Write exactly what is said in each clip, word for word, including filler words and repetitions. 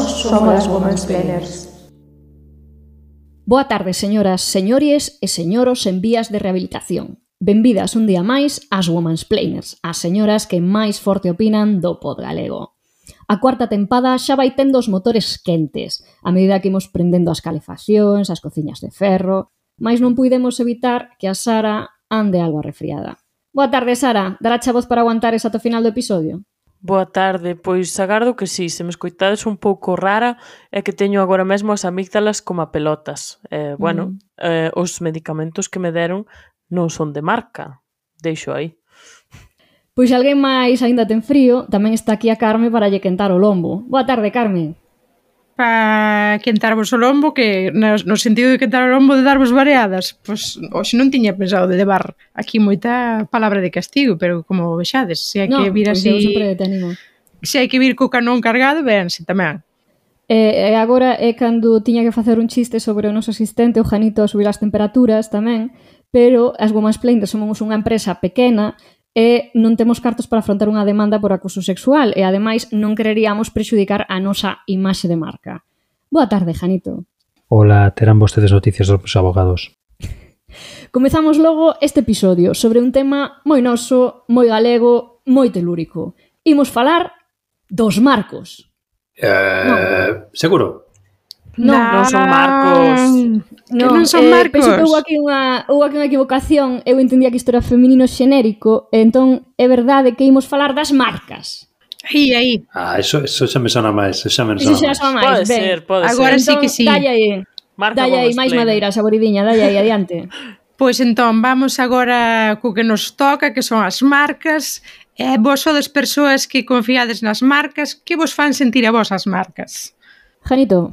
somos as Womansplainers. Boa tarde, señoras, señores e señoros en vías de rehabilitación. Benvidas un día máis ás Womansplainers, as señoras que máis forte opinan do pod galego. A cuarta tempada xa vai tendo os motores quentes, a medida que imos prendendo as calefaccións, as cociñas de ferro, mais non puidemos evitar que a Sara ande algo arrefriada. Boa tarde, Sara. Darache a voz para aguantar esa ata o final do episodio? Boa tarde, pois agardo que sí, se me escoitades un pouco rara é que teño agora mesmo as amígdalas como a pelotas. Eh, bueno, mm. eh, os medicamentos que me deron non son de marca, deixo aí. Pois se alguén máis aínda ten frío, tamén está aquí a Carme para lle quentar o lombo. Boa tarde, Carme. Para quentarvos o lombo, que no, no sentido de quentar o lombo de darvos variadas, pois hoxe non tiña pensado de levar aquí moita palabra de castigo, pero como vexades, se hai no, que vir así... así... Non, pois eu sempre te animo. Se hai que vir co canón cargado, véanse tamén. E, e agora é cando tiña que facer un chiste sobre o noso asistente, o Janito, a subir as temperaturas tamén, pero as Womansplainers somos unha empresa pequena e non temos cartos para afrontar unha demanda por acoso sexual e, ademais, non quereríamos prexudicar a nosa imaxe de marca. Boa tarde, Janito. Ola, terán vostedes noticias dos abogados. Comezamos logo este episodio sobre un tema moi noso, moi galego, moi telúrico. Imos falar dos marcos. Eh, no. Seguro? Non, non son marcos. No, non son eh, marcos. Penso que houve aquí unha, houve aquí unha equivocación. Eu entendía que isto era feminino xenérico, e entón é verdade que imos falar das marcas. Aí, aí. Ah, eso, eso xa me sona máis. Eso xa me Eso sona xa sona máis. máis. Pode Ben, ser, pode agora ser. sí que sí. Dalle aí, Marca dalle aí, máis madeira, saboridiña, dalle aí, adiante. Pois entón, vamos agora co que nos toca, que son as marcas. E vos sodes persoas que confiades nas marcas. Que vos fan sentir a vos as marcas? Janito.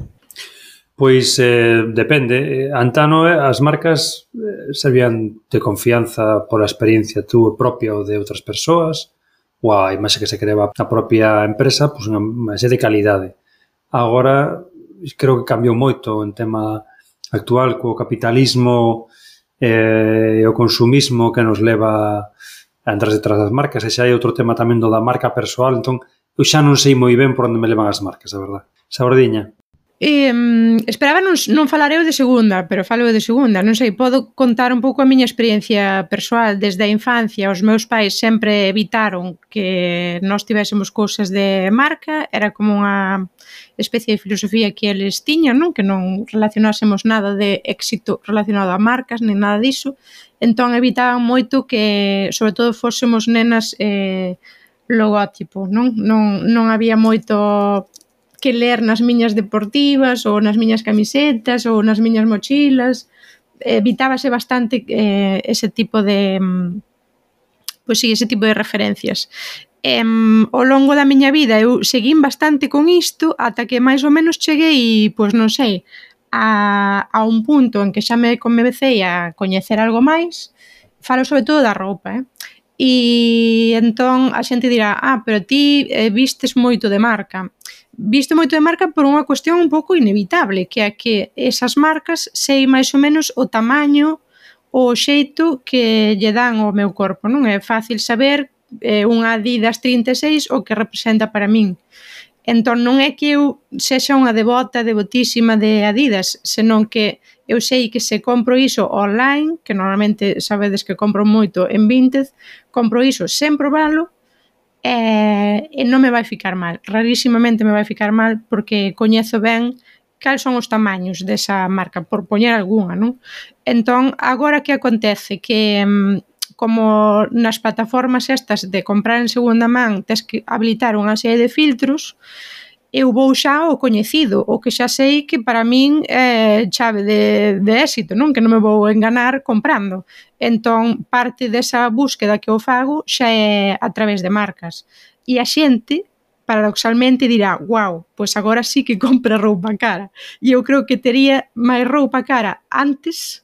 Pois eh, depende. Antano as marcas eh, servían de confianza pola experiencia tú propia ou de outras persoas, ou a imaxe que se creaba a propia empresa, pois unha imaxe de calidade. Agora, creo que cambiou moito en tema actual co capitalismo e eh, o consumismo que nos leva a entrar detrás das marcas, e xa hai outro tema tamén do da marca persoal, entón eu xa non sei moi ben por onde me levan as marcas, a verdade. Sabordiña. Eh, esperaba non, non falar eu de segunda, pero falo eu de segunda. Non sei, podo contar un pouco a miña experiencia persoal. Desde a infancia, os meus pais sempre evitaron que nós tivésemos cousas de marca. Era como unha especie de filosofía que eles tiñan, non? Que non relacionásemos nada de éxito relacionado a marcas, nin nada diso. Entón evitaban moito que, sobre todo, fósemos nenas eh, logótipo, non? Non, non había moito que ler nas miñas deportivas ou nas miñas camisetas ou nas miñas mochilas. Evitábase bastante eh, ese tipo de pois sí, ese tipo de referencias. E, ao longo da miña vida eu seguín bastante con isto ata que máis ou menos cheguei, pois non sei, a, a un punto en que xa me comecei a coñecer algo máis. Falo sobre todo da roupa, eh? E entón a xente dirá, ah, pero ti eh, vistes moito de marca. Visto moito de marca por unha cuestión un pouco inevitable, que é que esas marcas sei máis ou menos o tamaño ou o xeito que lle dan ao meu corpo, non é fácil saber eh, unha Adidas trinta e seis o que representa para min. Entón non é que eu sexa unha devota, devotísima de Adidas, senón que eu sei que se compro iso online, que normalmente sabedes que compro moito en Vinted, compro iso sen probalo, e, e non me vai ficar mal. Rarísimamente me vai ficar mal porque coñezo ben cal son os tamaños desa marca, por poñer algunha, non? Entón, agora que acontece? Que como nas plataformas estas de comprar en segunda man tes que habilitar unha serie de filtros, eu vou xa o coñecido, o que xa sei que para min é chave de, de éxito, non? Que non me vou enganar comprando. Entón, parte desa búsqueda que eu fago xa é a través de marcas. E a xente, paradoxalmente, dirá, wow, pois agora sí que compra roupa cara. E eu creo que tería máis roupa cara antes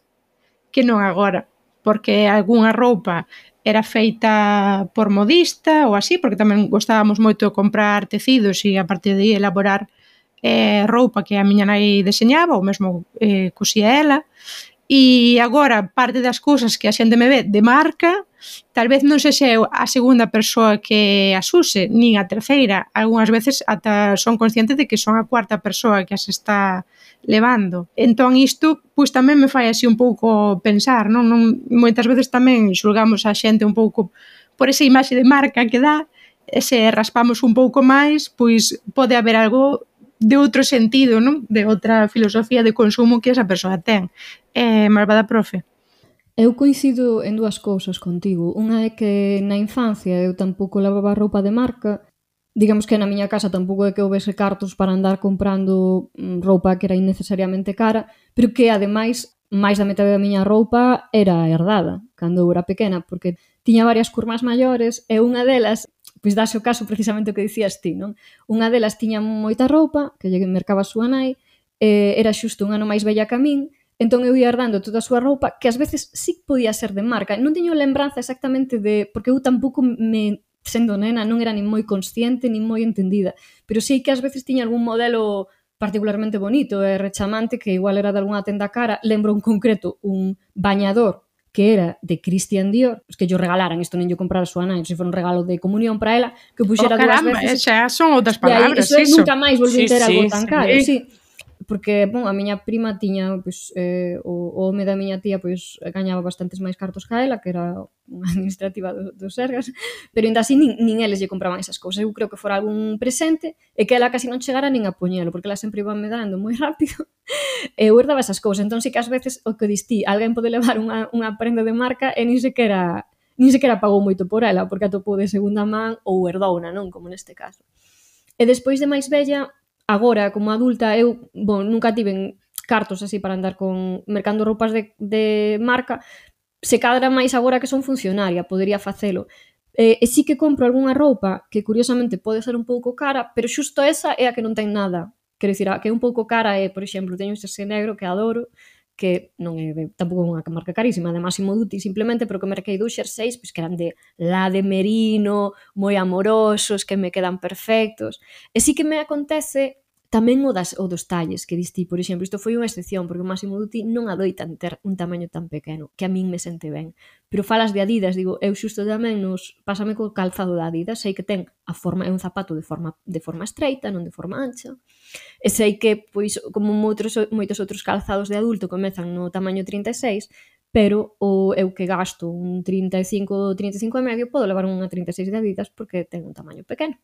que non agora, porque algunha roupa era feita por modista ou así, porque tamén gostábamos moito de comprar tecidos e a partir de aí elaborar eh, roupa que a miña nai deseñaba ou mesmo eh, cosía ela. E agora parte das cousas que a xente me ve de marca Tal vez non sexa eu a segunda persoa que as use, nin a terceira. Algúnas veces ata son consciente de que son a cuarta persoa que as está levando. Entón isto, pois tamén me fai así un pouco pensar, non? non moitas veces tamén xulgamos a xente un pouco por esa imaxe de marca que dá, e se raspamos un pouco máis, pois pode haber algo de outro sentido, non? De outra filosofía de consumo que esa persoa ten. Eh, malvada profe. Eu coincido en dúas cousas contigo. Unha é que na infancia eu tampouco lavaba roupa de marca. Digamos que na miña casa tampouco é que houvese cartos para andar comprando roupa que era innecesariamente cara, pero que, ademais, máis da metade da miña roupa era herdada cando eu era pequena, porque tiña varias curmas maiores e unha delas, pois dase o caso precisamente o que dicías ti, non? Unha delas tiña moita roupa, que lle mercaba a súa nai, e era xusto un ano máis bella que a min, entón eu ia herdando toda a súa roupa, que ás veces sí podía ser de marca. Non teño lembranza exactamente de... porque eu tampouco me... sendo nena non era nin moi consciente, nin moi entendida, pero sei que ás veces tiña algún modelo particularmente bonito e rechamante que igual era de algunha tenda cara. Lembro en concreto un bañador que era de Christian Dior, que yo regalaran, isto nen yo comprar a súa nai, se foi un regalo de comunión para ela, que puxera oh, dúas caramba, veces. Xa son outras palabras, eso. Eso nunca máis volví sí, ter algo sí, tan sí, caro, sí. sí. Porque, bon, a miña prima tiña, pois, eh, o, o home da miña tía, pois, gañaba bastantes máis cartos que a ela, que era unha administrativa do, dos Sergas, pero ainda así nin, nin eles lle compraban esas cousas. Eu creo que fora algún presente e que ela casi non chegara nin a poñelo, porque ela sempre iba medrando moi rápido e eu herdaba esas cousas. Entón, sí que ás veces, o que distí, alguén pode levar unha, unha prenda de marca e nin sequera, nin sequera pagou moito por ela, porque atopou de segunda man ou herdouna, non? Como neste caso. E despois de máis bella, agora, como adulta, eu, bon, nunca tiven cartos así para andar con mercando roupas de, de marca, se cadra máis agora que son funcionaria, podería facelo. E, e sí que compro algunha roupa que curiosamente pode ser un pouco cara, pero xusto esa é a que non ten nada. Quero dicir, a que é un pouco cara é, por exemplo, teño este negro que adoro, que non é de, tampouco é unha marca carísima, de Massimo Dutti simplemente, pero que merquei dous xerseis, pois que eran de la de merino, moi amorosos, que me quedan perfectos. E sí que me acontece tamén o, das, o dos talles que distí, por exemplo, isto foi unha excepción, porque o Massimo Dutti non adoitan ter un tamaño tan pequeno, que a min me sente ben. Pero falas de Adidas, digo, eu xusto tamén nos, pásame co calzado da Adidas, sei que ten a forma, é un zapato de forma, de forma estreita, non de forma ancha, e sei que, pois, como moitos, moitos outros calzados de adulto comezan no tamaño trinta e seis, pero o eu que gasto un trinta e cinco, trinta e cinco e medio, podo levar unha trinta e seis de Adidas porque ten un tamaño pequeno.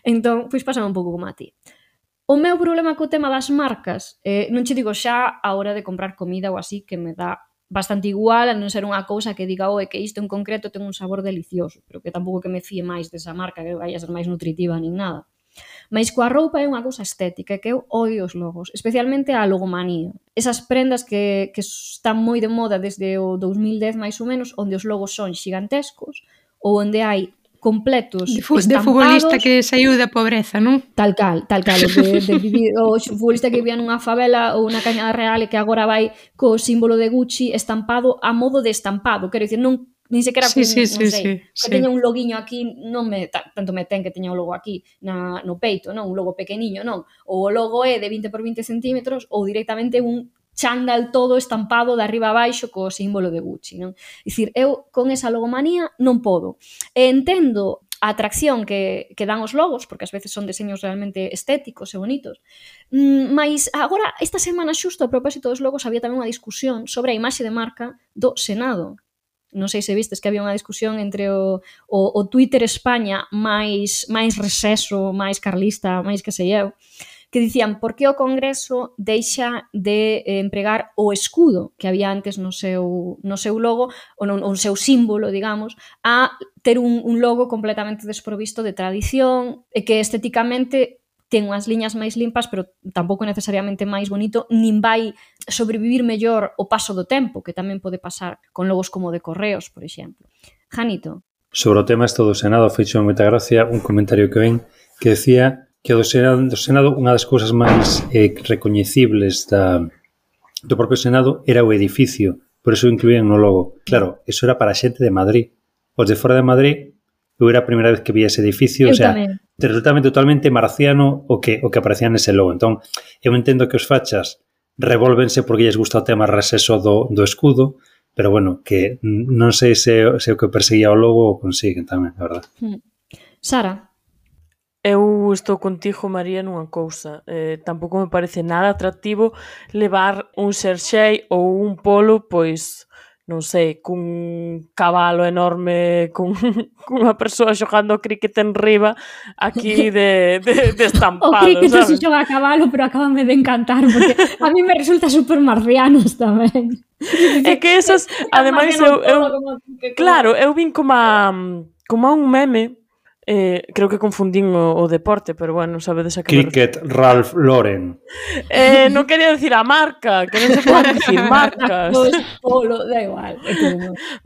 Entón, pois pásame un pouco como a ti. O meu problema co tema das marcas, eh, non che digo xa a hora de comprar comida ou así, que me dá bastante igual, a non ser unha cousa que diga, oh, é que isto en concreto ten un sabor delicioso, pero que tampouco que me fíe máis desa marca, que vai a ser máis nutritiva nin nada. Mais coa roupa é unha cousa estética, que eu odio os logos, especialmente a logomanía. Esas prendas que, que están moi de moda desde o dous mil dez máis ou menos, onde os logos son xigantescos, ou onde hai completos de, fu- estampados. De futbolista que saiu da pobreza, non? Tal cal, tal cal, de, de vivir, o futbolista que vivía nunha favela ou unha cañada real e que agora vai co símbolo de Gucci estampado a modo de estampado, quero dicir, non nin sequera sí, con, sí, non sí, sei, sí, que sí. teña un loguiño aquí, non me tanto me ten que teña o logo aquí na, no peito, non, un logo pequeniño, non, ou o logo é de vinte por vinte centímetros ou directamente un chándal todo estampado de arriba a baixo co símbolo de Gucci, non? Dicir, eu con esa logomanía non podo. E entendo a atracción que, que dan os logos, porque ás veces son deseños realmente estéticos e bonitos. Mm, mas agora, esta semana xusto a propósito dos logos, había tamén unha discusión sobre a imaxe de marca do Senado. Non sei se vistes que había unha discusión entre o, o, o Twitter España máis, máis receso, máis carlista, máis que sei eu, que dicían por que o Congreso deixa de eh, empregar o escudo que había antes no seu, no seu logo, ou no, o seu símbolo, digamos, a ter un, un logo completamente desprovisto de tradición e que estéticamente ten unhas liñas máis limpas, pero tampouco necesariamente máis bonito, nin vai sobrevivir mellor o paso do tempo, que tamén pode pasar con logos como de Correos, por exemplo. Janito. Sobre o tema isto do Senado, feixo moita gracia un comentario que ven que decía que do Senado, do Senado unha das cousas máis eh, recoñecibles da, do propio Senado era o edificio, por eso incluían no logo. Claro, eso era para a xente de Madrid. Os de fora de Madrid, eu era a primeira vez que vi ese edificio, eu o sea, tamén. Resultaba totalmente marciano o que o que aparecía nese logo. Entón, eu entendo que os fachas revólvense porque lles gusta o tema receso do, do escudo, pero bueno, que non sei se, se o que perseguía o logo o consiguen tamén, a verdad. Sara? Eu estou contigo, María, nunha cousa. Eh, tampouco me parece nada atractivo levar un xerxei ou un polo, pois, non sei, cun cabalo enorme, cun, cunha persoa xogando o cricket en riba, aquí de, de, de estampado, o cricket non se sabes? xoga a cabalo, pero acábame de encantar, porque a mí me resulta super marcianos tamén. É que esas, ademais, eu, eu, claro, eu vin como a, como a un meme. Eh, creo que confundín o, o deporte, pero bueno, sabedes a que Cricket, Ralph Lauren. Eh, non quería decir a marca, que non se pode decir marcas. Pois, polo, da igual.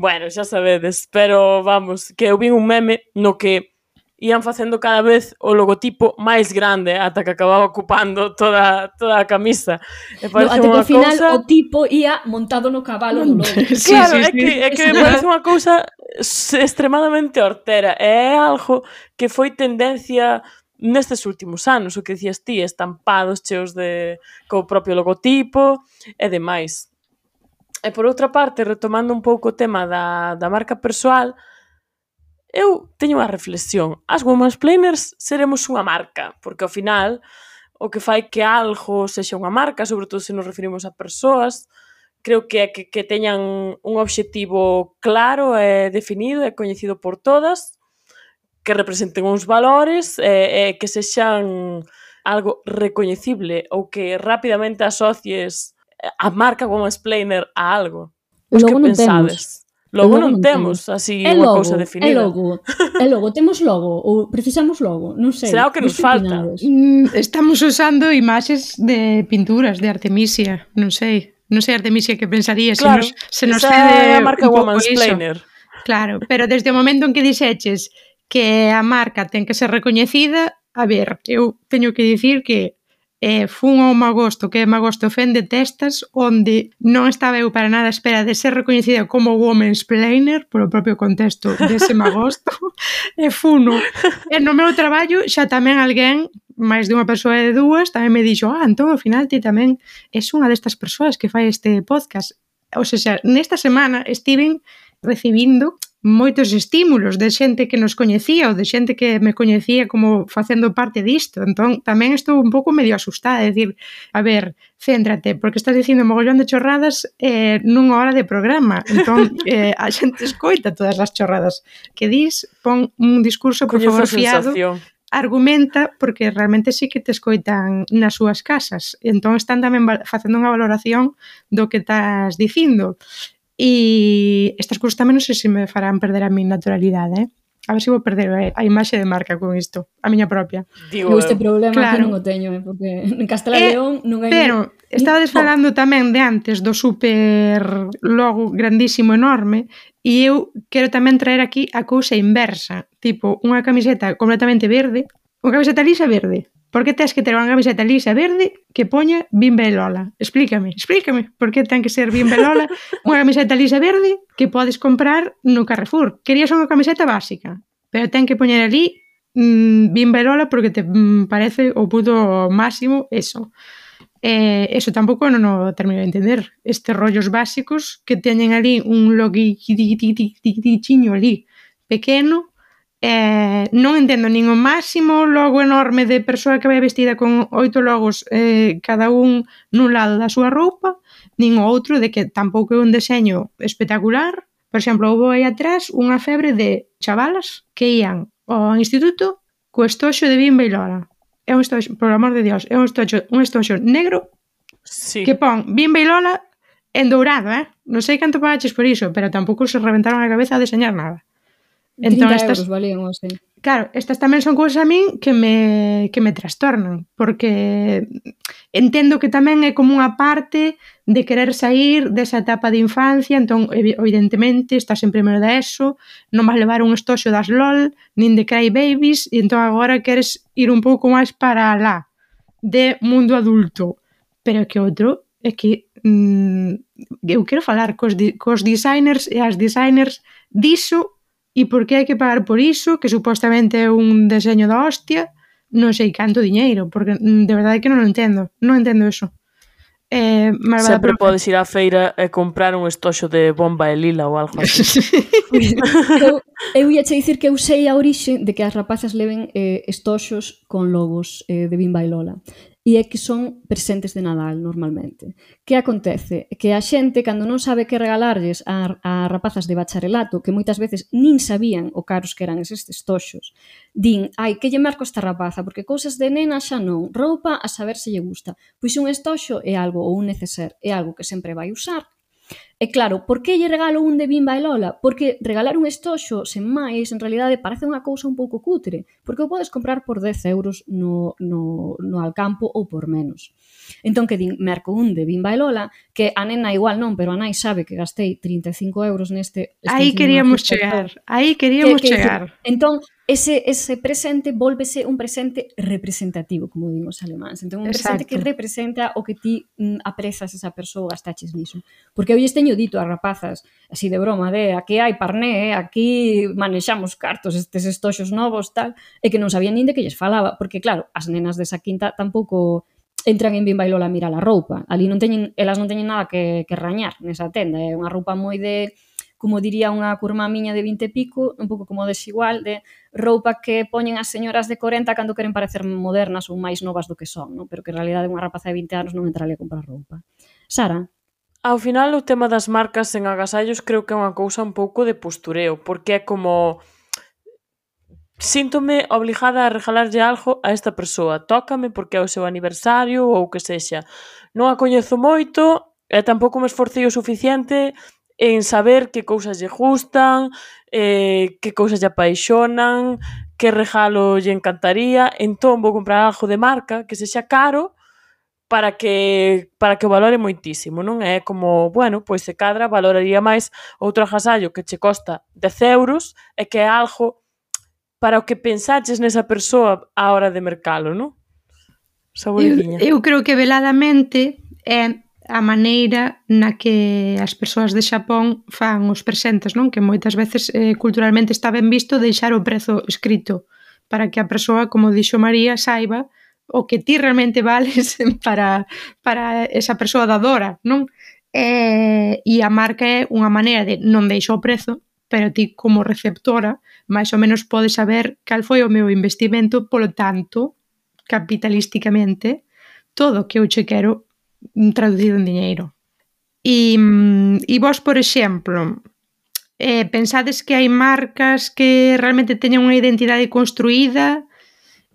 Bueno, xa sabedes, pero vamos, que eu vin un meme no que ían facendo cada vez o logotipo máis grande ata que acababa ocupando toda, toda a camisa. E parece no, unha ao final cousa... o tipo ia montado no cabalo do logo. Sí, claro, sí, sí, é que, é que me parece unha cousa extremadamente hortera. É algo que foi tendencia nestes últimos anos, o que dicías ti, estampados cheos de co propio logotipo e demais. E por outra parte, retomando un pouco o tema da, da marca persoal, eu teño unha reflexión. As womansplainers seremos unha marca, porque ao final o que fai que algo sexa unha marca, sobre todo se nos referimos a persoas, creo que é que, que teñan un obxectivo claro e definido e coñecido por todas, que representen uns valores e, e que sexan algo recoñecible ou que rapidamente asocies a marca womansplainer a algo. Os que pensades? Logo, logo non temos, así, é unha logo, cousa definida. É logo, é logo. Temos logo ou precisamos logo? Non sei. Será o que nos falta. Mm, estamos usando imaxes de pinturas de Artemisia, non sei. Non sei Artemisia que pensaría, claro, se nos, se nos esa cede é a marca womansplainer. Claro, pero desde o momento en que dixeches que a marca ten que ser recoñecida, a ver, eu teño que dicir que eh, fun ao Magosto, que é Magosto Fende Testas, onde non estaba eu para nada a espera de ser recoñecida como womansplainer, polo propio contexto dese Magosto, e funo. E no meu traballo xa tamén alguén, máis de unha persoa e de dúas, tamén me dixo, ah, entón, ao final, ti tamén és unha destas persoas que fai este podcast. Ou seja, nesta semana estiven recibindo moitos estímulos de xente que nos coñecía ou de xente que me coñecía como facendo parte disto. Entón, tamén estou un pouco medio asustada, de decir, a ver, céntrate, porque estás dicindo mogollón de chorradas eh, nunha hora de programa. Entón, eh, a xente escoita todas as chorradas que dis, pon un discurso, por favor, fiado, argumenta, porque realmente sí que te escoitan nas súas casas. Entón, están tamén facendo unha valoración do que estás dicindo. E estas cousas tamén non sei se me farán perder a mi naturalidade, eh? A ver se vou perder a imaxe de marca con isto, a miña propia. Digo, este problema claro. que non o teño, eh? Porque en Castela e León non hai... Pero, estabades falando tamén de antes do super logo grandísimo, enorme, e eu quero tamén traer aquí a cousa inversa, tipo, unha camiseta completamente verde, unha camiseta lisa verde. Por que tens que ter unha camiseta lisa verde que poña Bimba e Lola? Explícame, explícame. Por que ten que ser Bimba e Lola unha camiseta lisa verde que podes comprar no Carrefour? Querías unha camiseta básica, pero ten que poñer ali mmm, Bimba e Lola porque te mmm, parece o puto máximo eso. Eh, eso tampouco non o termino de entender. Estes rollos básicos que teñen ali un loguichiño ali pequeno. Eh, non entendo nin o máximo logo enorme de persoa que vai vestida con oito logos eh, cada un nun lado da súa roupa, nin o outro de que tampouco é un deseño espectacular. Por exemplo, houve aí atrás unha febre de chavalas que ían ao instituto co estoxo de Bimba e Lola. É un estoxo, por amor de Dios, é un estoxo, un estoxo negro sí. que pon Bimba e Lola en dourado, eh? Non sei canto pagaches por iso, pero tampouco se reventaron a cabeza a deseñar nada. Entón, estas, euros valían, ou sei. Claro, estas tamén son cousas a min que me, que me trastornan, porque entendo que tamén é como unha parte de querer sair desa etapa de infancia, entón, evidentemente, estás en primeiro da ESO, non vas levar un estoxo das LOL, nin de Cry Babies, e entón agora queres ir un pouco máis para lá, de mundo adulto. Pero que outro é que mmm, eu quero falar cos, cos designers e as designers diso. E por que hai que pagar por iso, que supostamente é un deseño da hostia, non sei canto diñeiro, porque de verdade que non o entendo, non entendo eso. Eh, malvada Sempre profe. podes ir á feira e comprar un estoxo de bomba e lila ou algo así. eu, eu ia che dicir que eu sei a orixe de que as rapazas leven eh, estoxos con logos eh, de Bimba e Lola. E é que son presentes de Nadal, normalmente. Que acontece? Que a xente, cando non sabe que regalarlles a, a rapazas de bacharelato, que moitas veces nin sabían o caros que eran eses estoxos, din, ai, que lle marco esta rapaza, porque cousas de nena xa non, roupa a saber se lle gusta. Pois un estoxo é algo, ou un neceser, é algo que sempre vai usar. E claro, por que lle regalo un de Bimba e Lola? Porque regalar un estoxo, sen máis, en realidade parece unha cousa un pouco cutre, porque o podes comprar por dez euros no, no, no Alcampo ou por menos. Entón, que din, merco un de Bimba e Lola, que a nena igual non, pero a nai sabe que gastei trinta e cinco euros neste... Aí queríamos chegar, aí queríamos que, que, chegar. Entón, ese, ese presente volvese un presente representativo, como din os alemáns. Entón, un presente Exacto. que representa o que ti mm, aprezas esa persoa, gastaches niso. Porque eu lles teño dito ás rapazas, así de broma, de aquí hai parné, aquí manexamos cartos, estes estoxos novos, tal, e que non sabían nin de que lles falaba, porque claro, as nenas desa quinta tampouco entran en Bimba e Lola a mirar a roupa. Ali non teñen, elas non teñen nada que, que rañar nesa tenda, é unha roupa moi de, como diría unha curma miña de vinte e pico, un pouco como desigual, de roupa que poñen as señoras de corenta cando queren parecer modernas ou máis novas do que son, non? Pero que en realidade unha rapaza de vinte anos non entraría a comprar roupa. Sara? Ao final, o tema das marcas en agasallos creo que é unha cousa un pouco de postureo, porque é como... Síntome obligada a regalarlle algo a esta persoa. Tócame porque é o seu aniversario ou o que sexa. Non a coñezo moito e tampouco me esforcei o suficiente en saber que cousas lle gustan, eh, que cousas lle apaixonan, que regalo lle encantaría. Entón vou comprar algo de marca que sexa caro para que para que o valore moitísimo, non? É como, bueno, pois se cadra valoraría máis outro agasallo que che costa dez euros e que é algo para o que pensaches nesa persoa á hora de mercalo, non? Saboridiña. Eu, eu creo que veladamente é a maneira na que as persoas de Xapón fan os presentes, non? Que moitas veces eh, culturalmente está ben visto deixar o prezo escrito para que a persoa, como dixo María, saiba o que ti realmente vales para, para esa persoa dadora, non? E, e a marca é unha maneira de non deixo o prezo, pero ti como receptora máis ou menos podes saber cal foi o meu investimento, polo tanto, capitalísticamente, todo o que eu che quero traducido en diñeiro. E, e vos, por exemplo, eh, pensades que hai marcas que realmente teñen unha identidade construída,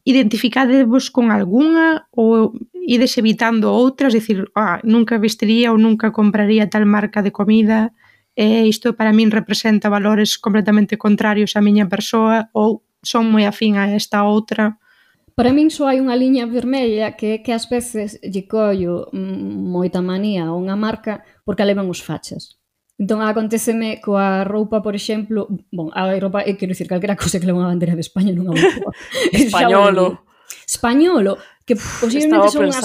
identificadevos con algunha ou ides evitando outras, dicir, ah, nunca vestiría ou nunca compraría tal marca de comida, e isto para min representa valores completamente contrarios á miña persoa, ou son moi afín a esta outra. Para min só hai unha liña vermella que é que ás veces lle collo moita manía a unha marca porque a levan os fachas. Entón, aconteceme coa roupa, por exemplo, bon, a roupa, eu quero dicir, calquera cousa que leva unha bandera de España non é unha boa. Españolo. Españolo, que posiblemente son as...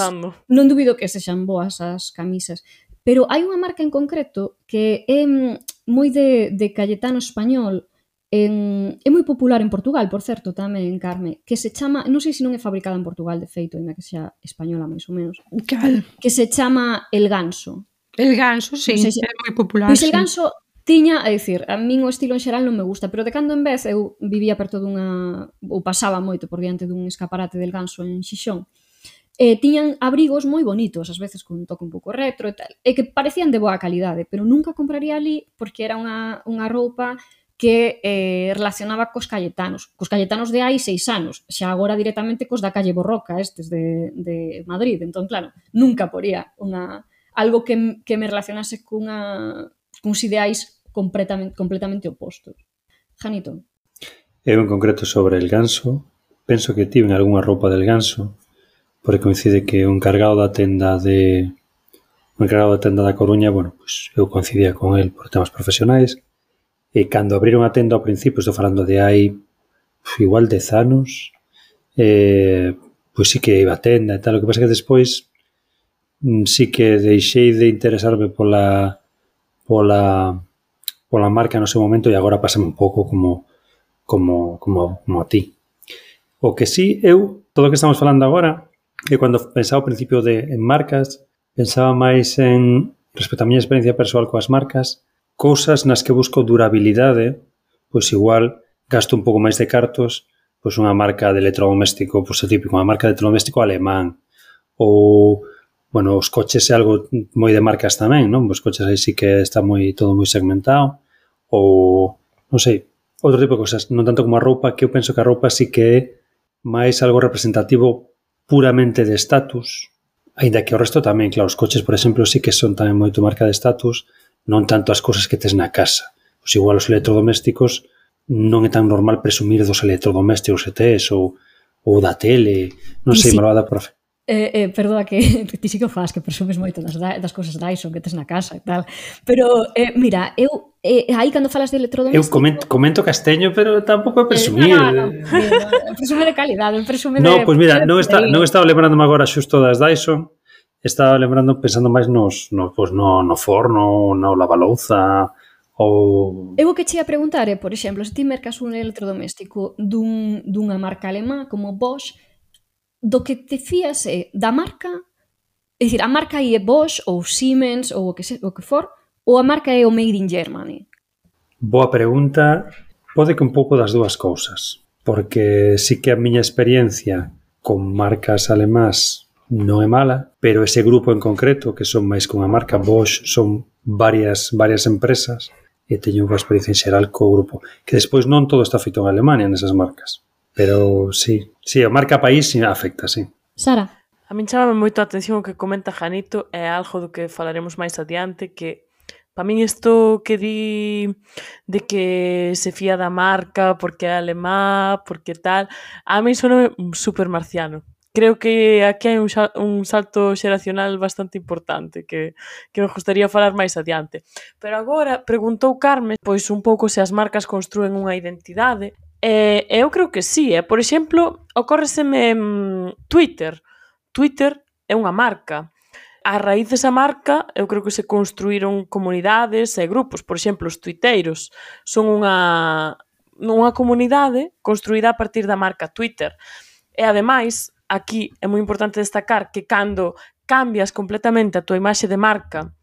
Non dubido que sexan boas as camisas, pero hai unha marca en concreto que é moi de, de Cayetano español, en, é moi popular en Portugal, por certo, tamén, Carme, que se chama, non sei se non é fabricada en Portugal, de feito, ainda que xa española máis ou menos, Cal? que se chama El Ganso. El Ganso, sí, no sei se... é moi popular. Pois El sí. Ganso tiña, é dicir, a min o estilo en xeral non me gusta, pero de cando en vez eu vivía perto dunha, ou pasaba moito por diante dun escaparate del Ganso en Xixón, e tiñan abrigos moi bonitos, ás veces con un toque un pouco retro e tal, e que parecían de boa calidade, pero nunca compraría ali porque era unha, unha roupa que eh, relacionaba cos cayetanos, cos cayetanos de hai seis anos, xa agora directamente cos da calle Borroca, estes de, de Madrid, entón claro, nunca poría unha, algo que, que me relacionase cunha, cuns ideais completamente, completamente opostos. Janito? Eu en concreto sobre el Ganso, penso que tiven algunha roupa del Ganso, porque coincide que un encargado da tenda de un encargado da tenda da Coruña, bueno, pues eu coincidía con el por temas profesionais, e cando abriron a tenda ao principio, estou falando de hai igual dez anos, eh, pois sí que iba a tenda e tal, o que pasa que despois sí que deixei de interesarme pola pola pola marca no seu momento e agora pásame un pouco como como, como, como a ti. O que sí, eu, todo o que estamos falando agora, e cando pensaba ao principio de en marcas, Pensaba máis en, respecto á miña experiencia persoal coas marcas, cousas nas que busco durabilidade, pois igual gasto un pouco máis de cartos, pois unha marca de electrodoméstico, pois é típico, unha marca de electrodoméstico alemán, ou, bueno, os coches é algo moi de marcas tamén, non? Os coches aí sí que está moi todo moi segmentado, ou, non sei, outro tipo de cosas, non tanto como a roupa, que eu penso que a roupa sí que é máis algo representativo puramente de estatus, ainda que o resto tamén, claro, os coches, por exemplo, sí que son tamén moito marca de estatus, non tanto as cousas que tes na casa. Pois igual os electrodomésticos non é tan normal presumir dos electrodomésticos que tes, ou, ou da tele, non sei, sí. malvada profe. Eh, eh, perdoa que ti sí que o faz, que presumes moito das, das cousas Dyson que tes na casa e tal, pero eh, mira, eu eh, aí cando falas de electrodoméstico... Eu comento, comento casteño, pero tampouco é presumir. Eh, no, no, no, presume de calidade, presume no, de... Pois mira, non, está, non estaba lembrando agora xusto das Dyson, estaba lembrando, pensando máis nos, no, pues no, no forno, no lavalouza, ou... Eu o que che ia preguntar é, por exemplo, se ti mercas un electrodoméstico dun, dunha marca alemá como Bosch, do que te fías é da marca, é dicir, a marca aí é Bosch ou Siemens ou o que, se, o que for, ou a marca é o Made in Germany? Boa pregunta. Pode que un pouco das dúas cousas, porque sí que a miña experiencia con marcas alemás non é mala, pero ese grupo en concreto, que son máis que unha marca, Bosch, son varias, varias empresas, e teño unha experiencia en xeral co grupo, que despois non todo está feito en Alemania nesas marcas. Pero sí, sí, a marca país sí afecta, sí. Sara? A min chamame moito a atención o que comenta Janito, é algo do que falaremos máis adiante, que para min isto que di de que se fía da marca porque é alemá, porque tal, a min sono super marciano. Creo que aquí hai un, un salto xeracional bastante importante que, que me gustaría falar máis adiante. Pero agora preguntou Carmen pois un pouco se as marcas construen unha identidade. Eh, eu creo que sí, eh? Por exemplo, ocórreseme mm, Twitter. Twitter é unha marca. A raíz desa marca, eu creo que se construíron comunidades e grupos. Por exemplo, os tuiteiros son unha, unha comunidade construída a partir da marca Twitter. E, ademais, aquí é moi importante destacar que cando cambias completamente a tua imaxe de marca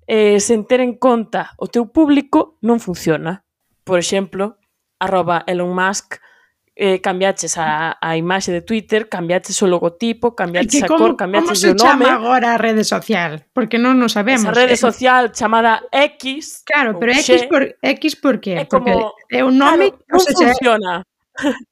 eh, sen ter en conta o teu público, non funciona. Por exemplo, arroba Elon Musk, eh, cambiaches a, a imaxe de Twitter, cambiaches o logotipo, cambiaches a cor, cambiaches o nome. Como se chama agora a rede social? Porque non nos sabemos. Esa rede social chamada X. Claro, pero X por, X por qué? É como, porque é un nome, claro, non o sea, funciona.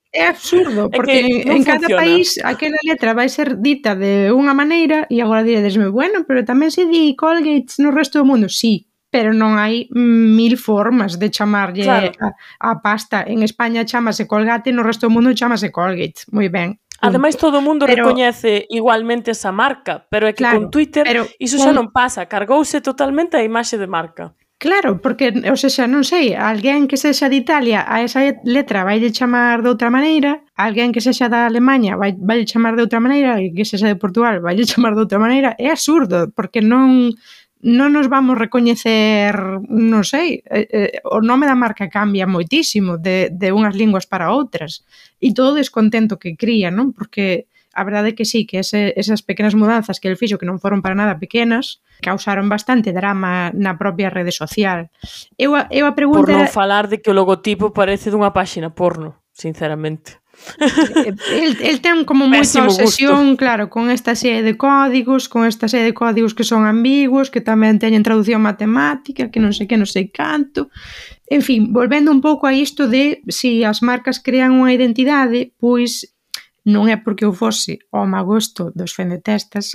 É absurdo, porque é en, en cada país aquela letra vai ser dita de unha maneira e agora diredesme, bueno, pero tamén se di Colgate no resto do mundo. Sí, pero non hai mil formas de chamarlle claro. a, a pasta. En España chamase Colgate, no resto do mundo chamase Colgate. Moi ben. Ademais, todo o mundo pero, recoñece igualmente esa marca, pero é que claro, con Twitter pero, iso xa non pasa, cargouse totalmente a imaxe de marca. Claro, porque, o sea, non sei, alguén que sexa de Italia a esa letra vai de chamar de outra maneira, alguén que sexa da Alemanha vai, vai chamar de outra maneira, e que sexa de Portugal vai chamar de outra maneira. É absurdo, porque non non nos vamos recoñecer, non sei, eh, eh, o nome da marca cambia moitísimo de, de unhas linguas para outras, e todo o descontento que cría, non? Porque a verdade é que sí, que ese, esas pequenas mudanzas que el fixo, que non foron para nada pequenas, causaron bastante drama na propia rede social. Eu a, eu a pregunta Por non era... falar de que o logotipo parece dunha páxina porno, sinceramente. El, el ten como moita obsesión, gusto. Claro, con esta serie de códigos, con esta serie de códigos que son ambiguos, que tamén teñen traducción matemática, que non sei que, non sei canto. En fin, volvendo un pouco a isto de se si as marcas crean unha identidade, pois non é porque eu fose ao magosto dos fendetestas,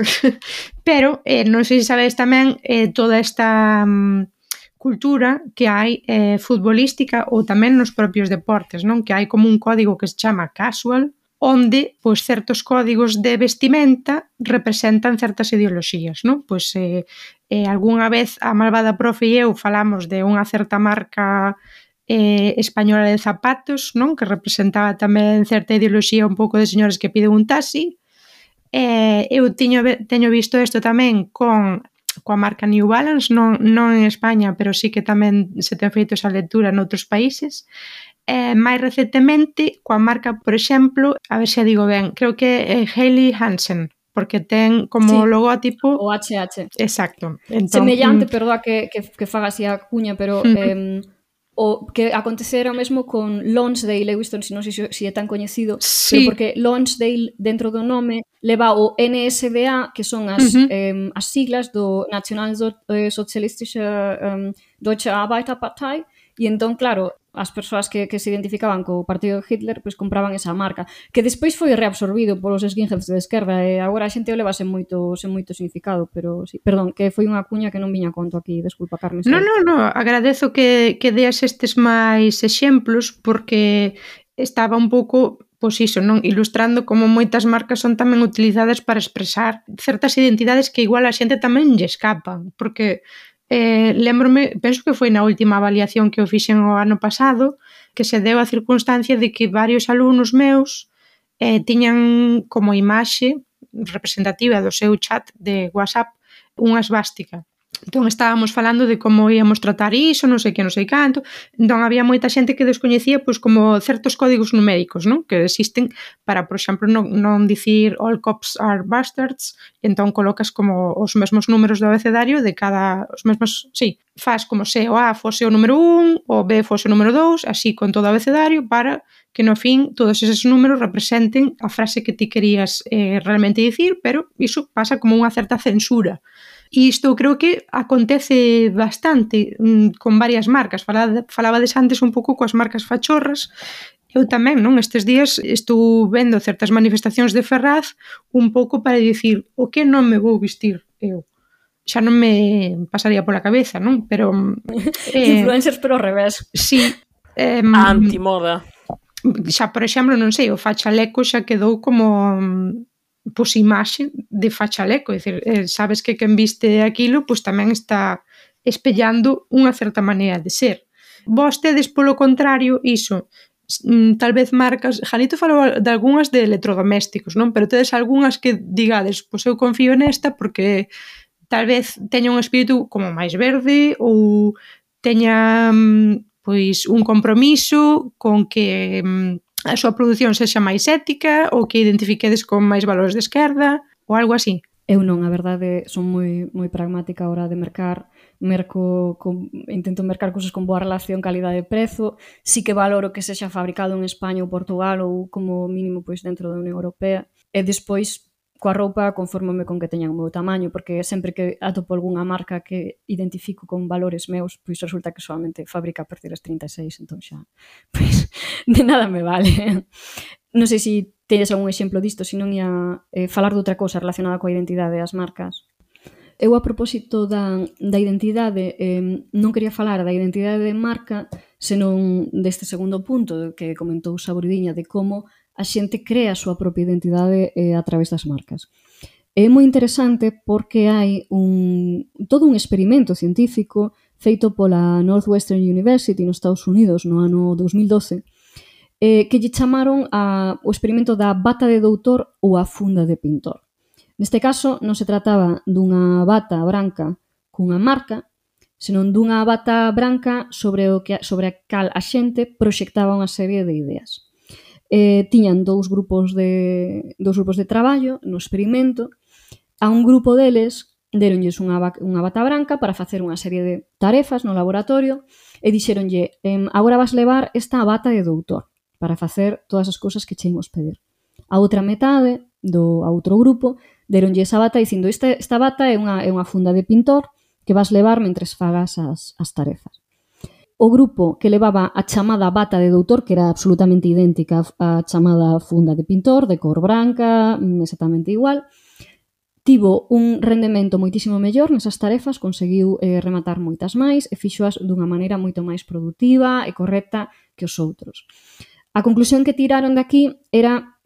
pero eh, non sei se sabedes tamén eh, toda esta um, cultura que hai eh, futbolística ou tamén nos propios deportes, non? Que hai como un código que se chama casual, onde pois, certos códigos de vestimenta representan certas ideoloxías, non? Pois eh, eh, algunha vez a malvada profe e eu falamos de unha certa marca eh, española de zapatos, non? Que representaba tamén certa ideoloxía un pouco de señores que piden un taxi. Eh, eu teño, teño visto isto tamén con coa marca New Balance, non, non en España, pero sí que tamén se ten feito esa lectura noutros países. Eh, máis recentemente, coa marca, por exemplo, a ver se a digo ben, creo que é Hailey Hansen, porque ten como Sí, logótipo o H H. exacto. Entón, Semellante, mm, perdoa que, que, que faga así a cuña, pero Mm. eh, o que acontecera o mesmo con Lonsdale, Lewiston, se non sei se, se é tan coñecido, Sí. pero porque Lonsdale, dentro do nome, leva o N S D A, que son as, Ujú. eh, as siglas do National Sozialistische eh, Deutsche Arbeiterpartei, e entón, claro, as persoas que, que se identificaban co partido de Hitler pois compraban esa marca, que despois foi reabsorbido polos skinheads de esquerda e agora a xente o leva sen moito, sen moito significado, pero sí, perdón, que foi unha cuña que non viña a conto aquí, desculpa, Carmen. No, no, no, agradezo que, que deas estes máis exemplos porque estaba un pouco, pois iso, non, ilustrando como moitas marcas son tamén utilizadas para expresar certas identidades que igual a xente tamén lle escapan, porque eh, lembrome, penso que foi na última avaliación que eu fixen o ano pasado, que se deu a circunstancia de que varios alumnos meus eh, tiñan como imaxe representativa do seu chat de WhatsApp unha esvástica. Entón estábamos falando de como íamos tratar iso, non sei que, non sei canto. Entón había moita xente que descoñecía pois como certos códigos numéricos, non? Que existen para, por exemplo, non, non dicir all cops are bastards, e entón colocas como os mesmos números do abecedario de cada, os mesmos, sí, faz como se o A fose o número un, o B fose o número dous, así con todo o abecedario para que no fin todos eses números representen a frase que ti querías eh, realmente dicir, pero iso pasa como unha certa censura. E isto creo que acontece bastante mmm, con varias marcas. Falaba, falabades antes un pouco coas marcas fachorras. Eu tamén, non? Estes días estou vendo certas manifestacións de Ferraz un pouco para dicir o que non me vou vestir eu. Xa non me pasaría pola cabeza, non? Pero... Eh, influencers pero ao revés. Sí. Eh, a antimoda. Xa, por exemplo, non sei, o fachaleco xa quedou como... pois imaxe de fachaleco, é dicir, eh, sabes que quen viste aquilo pois tamén está espellando unha certa maneira de ser. Vos tedes, polo contrario, iso, tal vez marcas, Janito falou de algunhas de electrodomésticos, non? Pero tedes algunhas que digades, pois eu confío nesta porque tal vez teña un espírito como máis verde ou teña pois un compromiso con que a súa produción sexa máis ética ou que identifiquedes con máis valores de esquerda ou algo así. Eu non, a verdade, son moi moi pragmática a hora de mercar, merco con, intento mercar cousas con boa relación calidade-prezo, sí que valoro que sexa fabricado en España ou Portugal ou como mínimo pois dentro da Unión Europea, e despois coa roupa confórmome con que teñan o meu tamaño, porque sempre que atopo algunha marca que identifico con valores meus, pois resulta que solamente fabrica a partir das trinta e seis, entón xa, pois de nada me vale. Non sei se tedes algún exemplo disto, se non ia eh, falar de outra cousa relacionada coa identidade das marcas. Eu, a propósito da, da identidade, eh, non quería falar da identidade de marca, senón deste segundo punto que comentou Saboridiña, de como a xente crea a súa propia identidade eh, a través das marcas. É moi interesante porque hai un, todo un experimento científico feito pola Northwestern University nos Estados Unidos no ano dos mil doce, eh, que lle chamaron a, o experimento da bata de doutor ou a funda de pintor. Neste caso, non se trataba dunha bata branca cunha marca, senón dunha bata branca sobre o que sobre a cal a xente proxectaba unha serie de ideas. Eh, tiñan dous grupos de dous grupos de traballo no experimento. A un grupo deles deronlles unha, unha bata branca para facer unha serie de tarefas no laboratorio e dixeronlle, agora vas levar esta bata de doutor para facer todas as cousas que che imos pedir. A outra metade do a outro grupo deronlle esa bata dicindo, esta, esta bata é unha, é unha funda de pintor que vas levar mentres fagas as, as tarefas. O grupo que levaba a chamada bata de doutor, que era absolutamente idéntica á chamada funda de pintor, de cor branca, exactamente igual, tivo un rendemento moitísimo mellor nesas tarefas, conseguiu eh, rematar moitas máis e fixoas dunha maneira moito máis produtiva e correcta que os outros. A conclusión que tiraron de aquí era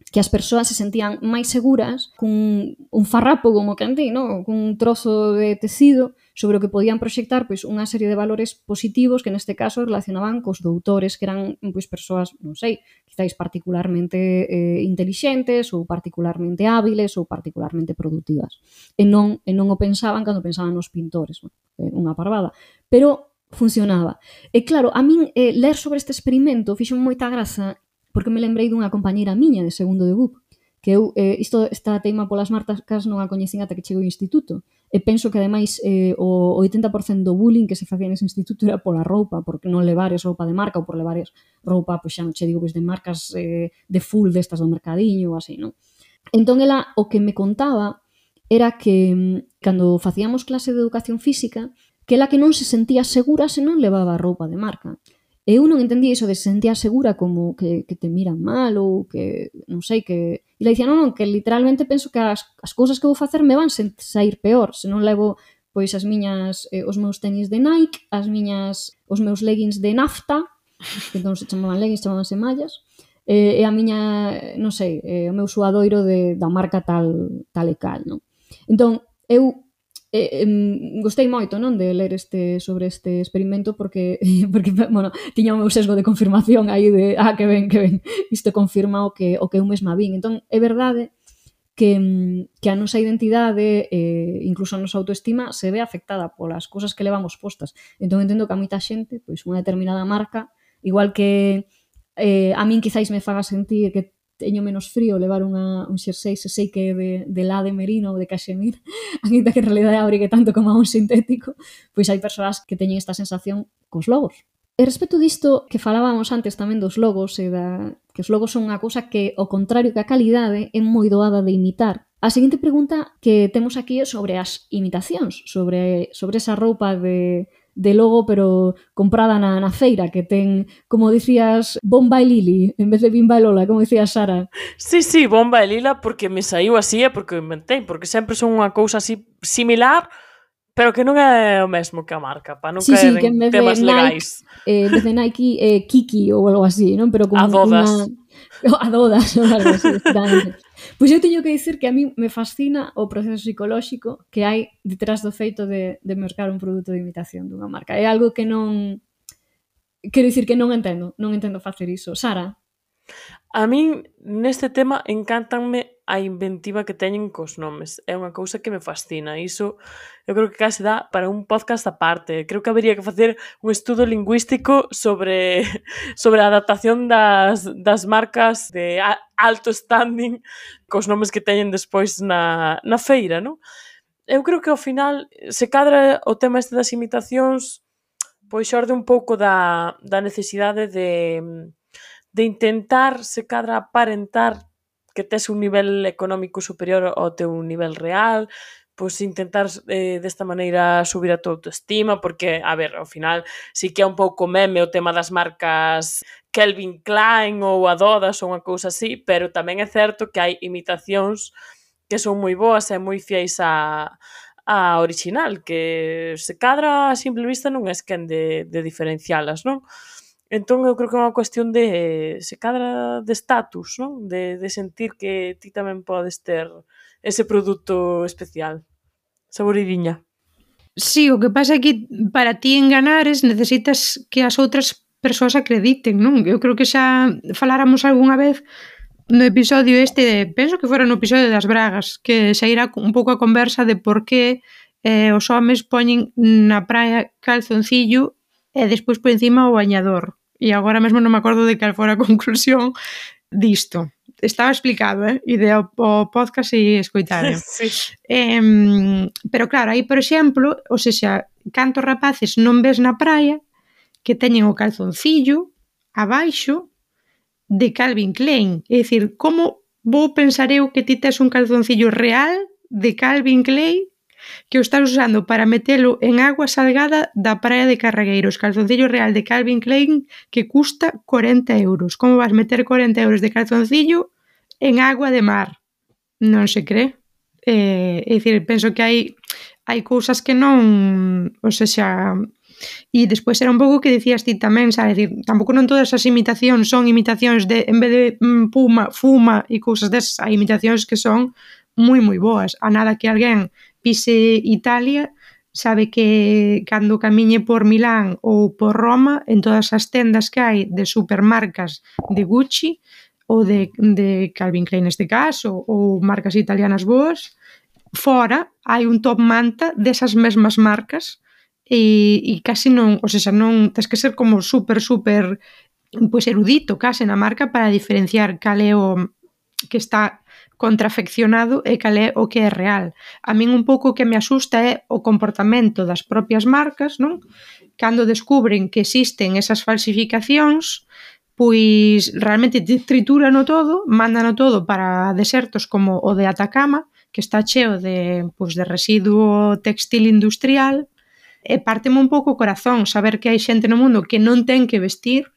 que as persoas se sentían máis seguras cun un farrapo, como quen di, no? Cun trozo de tecido sobre o que podían proxectar pois, unha serie de valores positivos que neste caso relacionaban cos doutores, que eran pois, persoas, non sei, quizáis particularmente eh, intelixentes ou particularmente hábiles ou particularmente productivas. E non, e non o pensaban cando pensaban nos pintores, no? eh, unha parvada. Pero funcionaba. E claro, a min eh, ler sobre este experimento fixo moita graza porque me lembrei dunha compañeira miña de segundo de B U P que eu, eh, isto, esta teima polas marcas non a coñecín ata que chegou ao instituto. E penso que, ademais, eh, o oitenta por cento do bullying que se facía nese instituto era pola roupa, porque non levares roupa de marca ou por levares roupa, pois xa non che digo, pois de marcas eh, de full destas do mercadiño ou así, non? Entón, ela, o que me contaba era que, cando facíamos clase de educación física, que ela que non se sentía segura se non levaba roupa de marca. E eu non entendía iso de se sentía segura como que, que te miran mal ou que, non sei, que... E le dicía, non, non, que literalmente penso que as, as cousas que vou facer me van sair peor se non levo pois as miñas, eh, os meus tenis de Nike, as miñas, os meus leggings de nafta, que entón se chamaban leggings, chamabanse mallas, eh, e a miña, non sei, eh, o meu suadoiro de, da marca tal, tal e cal, non? Entón, eu Eh, eh, gostei moito, non, de ler este sobre este experimento porque, porque bueno, tiña o meu sesgo de confirmación aí de, ah, que ben, que ben, isto confirma o que, o que eu mesma vin. Entón, é verdade que, que a nosa identidade, eh, incluso a nosa autoestima, se ve afectada polas cousas que levamos postas. Entón, entendo que a moita xente, pois, unha determinada marca, igual que eh, a min quizáis me faga sentir que teño menos frío levar unha, un xersei se sei que é de, de lá de merino ou de cachemir, ainda que en realidad abrigue tanto como a un sintético, pois hai persoas que teñen esta sensación cos logos. E respecto disto que falábamos antes tamén dos logos, e da, que os logos son unha cousa que, ao contrario que a calidade, é moi doada de imitar. A seguinte pregunta que temos aquí é sobre as imitacións, sobre, sobre esa roupa de... de logo, pero comprada na, na feira, que ten, como dicías, Bomba e Lili, en vez de Bimba e Lola, como dicía Sara. Sí, sí, Bomba e Lila, porque me saiu así, é porque o inventei, porque sempre son unha cousa así similar, pero que non é o mesmo que a marca, para non sí, caer sí, que en en temas Nike, legais. Eh, en vez de Nike, eh, Kiki ou algo así, non? Pero con Adodas. Una... Adodas, ou algo así, exactamente. Pois eu teño que dicir que a mí me fascina o proceso psicolóxico que hai detrás do feito de, de mercar un produto de imitación dunha marca. É algo que non... Quero dicir que non entendo, non entendo facer iso. Sara? A min, neste tema, encántanme a inventiva que teñen cos nomes. É unha cousa que me fascina. Iso, eu creo que case dá para un podcast aparte. Creo que habería que facer un estudo lingüístico sobre, sobre a adaptación das, das marcas de alto standing cos nomes que teñen despois na, na feira, non? Eu creo que ao final, se cadra o tema este das imitacións, pois xorde un pouco da, da necesidade de... de intentar, se cadra, aparentar que tes un nivel económico superior ao teu nivel real, pois intentar eh, desta maneira subir a tua autoestima, porque, a ver, ao final, sí que é un pouco meme o tema das marcas Calvin Klein ou Adodas ou unha cousa así, pero tamén é certo que hai imitacións que son moi boas e moi fiéis a, a original, que se cadra a simple vista non é quen de, de diferencialas, non? Entón, eu creo que é unha cuestión de, se cadra, de status, non? De, de sentir que ti tamén podes ter ese produto especial. Saboridiña. Sí, o que pasa é que para ti enganares necesitas que as outras persoas acrediten, non? Eu creo que xa faláramos algunha vez no episodio este, de, penso que fora no episodio das bragas, que xa irá un pouco a conversa de por que eh, os homes poñen na praia calzoncillo e despois por encima o bañador. E agora mesmo non me acordo de cal fora a conclusión disto. Estaba explicado, eh? Ide ao, ao podcast e escoitare. Sí. Eh, pero claro, aí, por exemplo, ou seja, cantos rapaces non ves na praia que teñen o calzoncillo abaixo de Calvin Klein. É dicir, como vou pensar eu que ti tes un calzoncillo real de Calvin Klein que o estás usando para metelo en agua salgada da praia de Carregueiros, calzoncillo real de Calvin Klein que custa corenta euros. Como vas meter corenta euros de calzoncillo en agua de mar? Non se cree. Eh, é dicir, penso que hai hai cousas que non, ou seja, e despois era un pouco que dicías ti tamén, sabe, dicir, tampouco non todas as imitacións son imitacións de, en vez de mm, puma, fuma e cousas desas, hai imitacións que son moi moi boas. A nada que alguén pise Italia, sabe que cando camiñe por Milán ou por Roma, en todas as tendas que hai de supermarcas de Gucci ou de, de Calvin Klein neste caso, ou marcas italianas boas, fora hai un top manta desas mesmas marcas e, e casi non, ou seja, non tens que ser como super, super pois erudito case na marca para diferenciar cal é o que está contrafeccionado e cal é o que é real. A min un pouco o que me asusta é o comportamento das propias marcas, non? Cando descubren que existen esas falsificacións, pois realmente trituran o todo, mandan o todo para desertos como o de Atacama, que está cheo de, pois, de residuo textil industrial, e párteme un pouco o corazón saber que hai xente no mundo que non ten que vestir,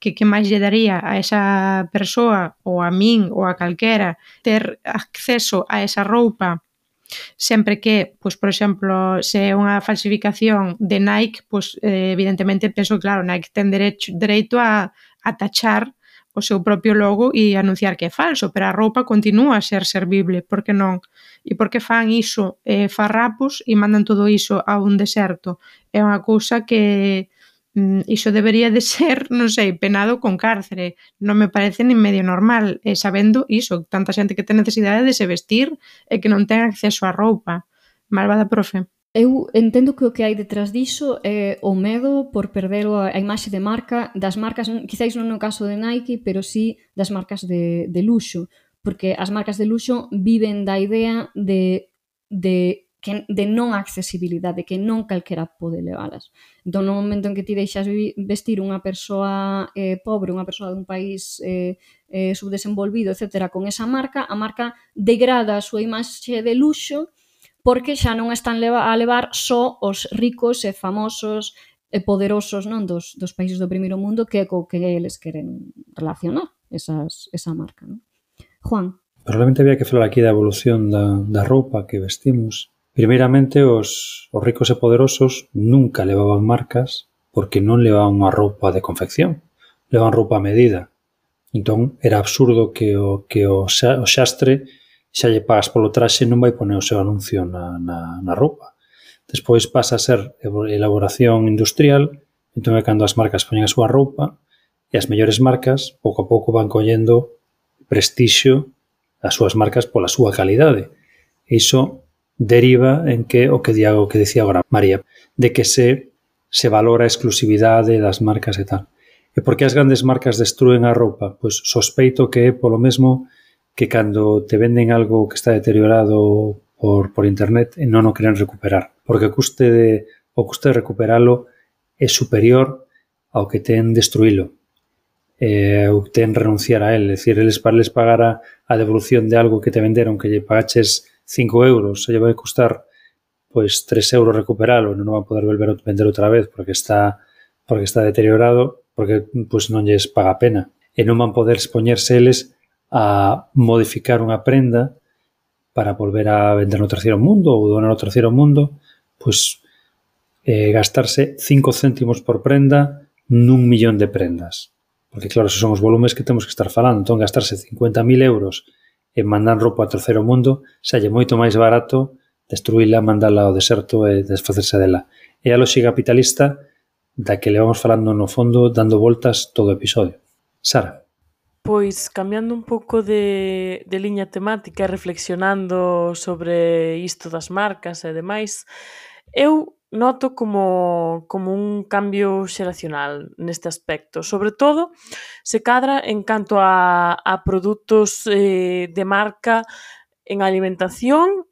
que que máis lle daría a esa persoa ou a min ou a calquera ter acceso a esa roupa sempre que, pois, por exemplo, se é unha falsificación de Nike, pois, eh, evidentemente, penso que, claro, Nike ten derecho, dereito a, a tachar o seu propio logo e anunciar que é falso, pero a roupa continúa a ser servible, por que non? E por que fan iso eh, farrapos e mandan todo iso a un deserto? É unha cousa que mm, iso debería de ser, non sei, penado con cárcere. Non me parece nin medio normal, eh, sabendo iso, tanta xente que ten necesidade de se vestir e que non ten acceso á roupa. Malvada profe. Eu entendo que o que hai detrás diso é o medo por perder a imaxe de marca das marcas, quizáis non no caso de Nike, pero sí das marcas de, de luxo, porque as marcas de luxo viven da idea de, de, que, de non accesibilidade, que non calquera pode leválas. Entón, no momento en que ti deixas vestir unha persoa eh, pobre, unha persoa dun país eh, eh, subdesenvolvido, etcétera, con esa marca, a marca degrada a súa imaxe de luxo porque xa non están a levar só os ricos e famosos e poderosos, non, dos, dos países do primeiro mundo, que é co que eles queren relacionar esas, esa marca, non? Juan. Probablemente había que falar aquí da evolución da, da roupa que vestimos. Primeiramente, os, os ricos e poderosos nunca levaban marcas porque non levaban unha roupa de confección, levaban roupa a medida. Entón, era absurdo que o, que o, xa, o xastre xa lle pagas polo traxe non vai poner o seu anuncio na, na, na roupa. Despois pasa a ser elaboración industrial, entón é cando as marcas poñen a súa roupa e as mellores marcas pouco a pouco van collendo prestixio as súas marcas pola súa calidade. E iso deriva en que o que diago que dicía agora María, de que se, se valora a exclusividade das marcas e tal. E por que as grandes marcas destruen a roupa? Pois sospeito que é polo mesmo que cando te venden algo que está deteriorado por, por internet e non o queren recuperar. Porque o custe de, o custe de recuperalo é superior ao que ten destruílo. Eh, ou ten renunciar a él. É dicir, eles para les pagar a, a devolución de algo que te venderon que lle pagaches cinco euros, se lle vai costar pois tres euros recuperalo, non van poder volver a vender outra vez porque está porque está deteriorado, porque pois non lles paga a pena. E non van poder expoñerse eles a modificar unha prenda para volver a vender no terceiro mundo ou donar no terceiro mundo, pois eh, gastarse cinco céntimos por prenda nun millón de prendas. Porque claro, esos son os volumes que temos que estar falando. Entón, gastarse cincuenta mil euros en mandar roupa ao terceiro mundo xa lle moito máis barato destruíla, mandala ao deserto e desfacerse dela. É a lógica capitalista da que le vamos falando no fondo, dando voltas todo o episodio. Sara. Pois, cambiando un pouco de, de liña temática e reflexionando sobre isto das marcas e demais, eu noto como, como un cambio xeracional neste aspecto. Sobre todo, se cadra en canto a, a produtos eh, de marca en alimentación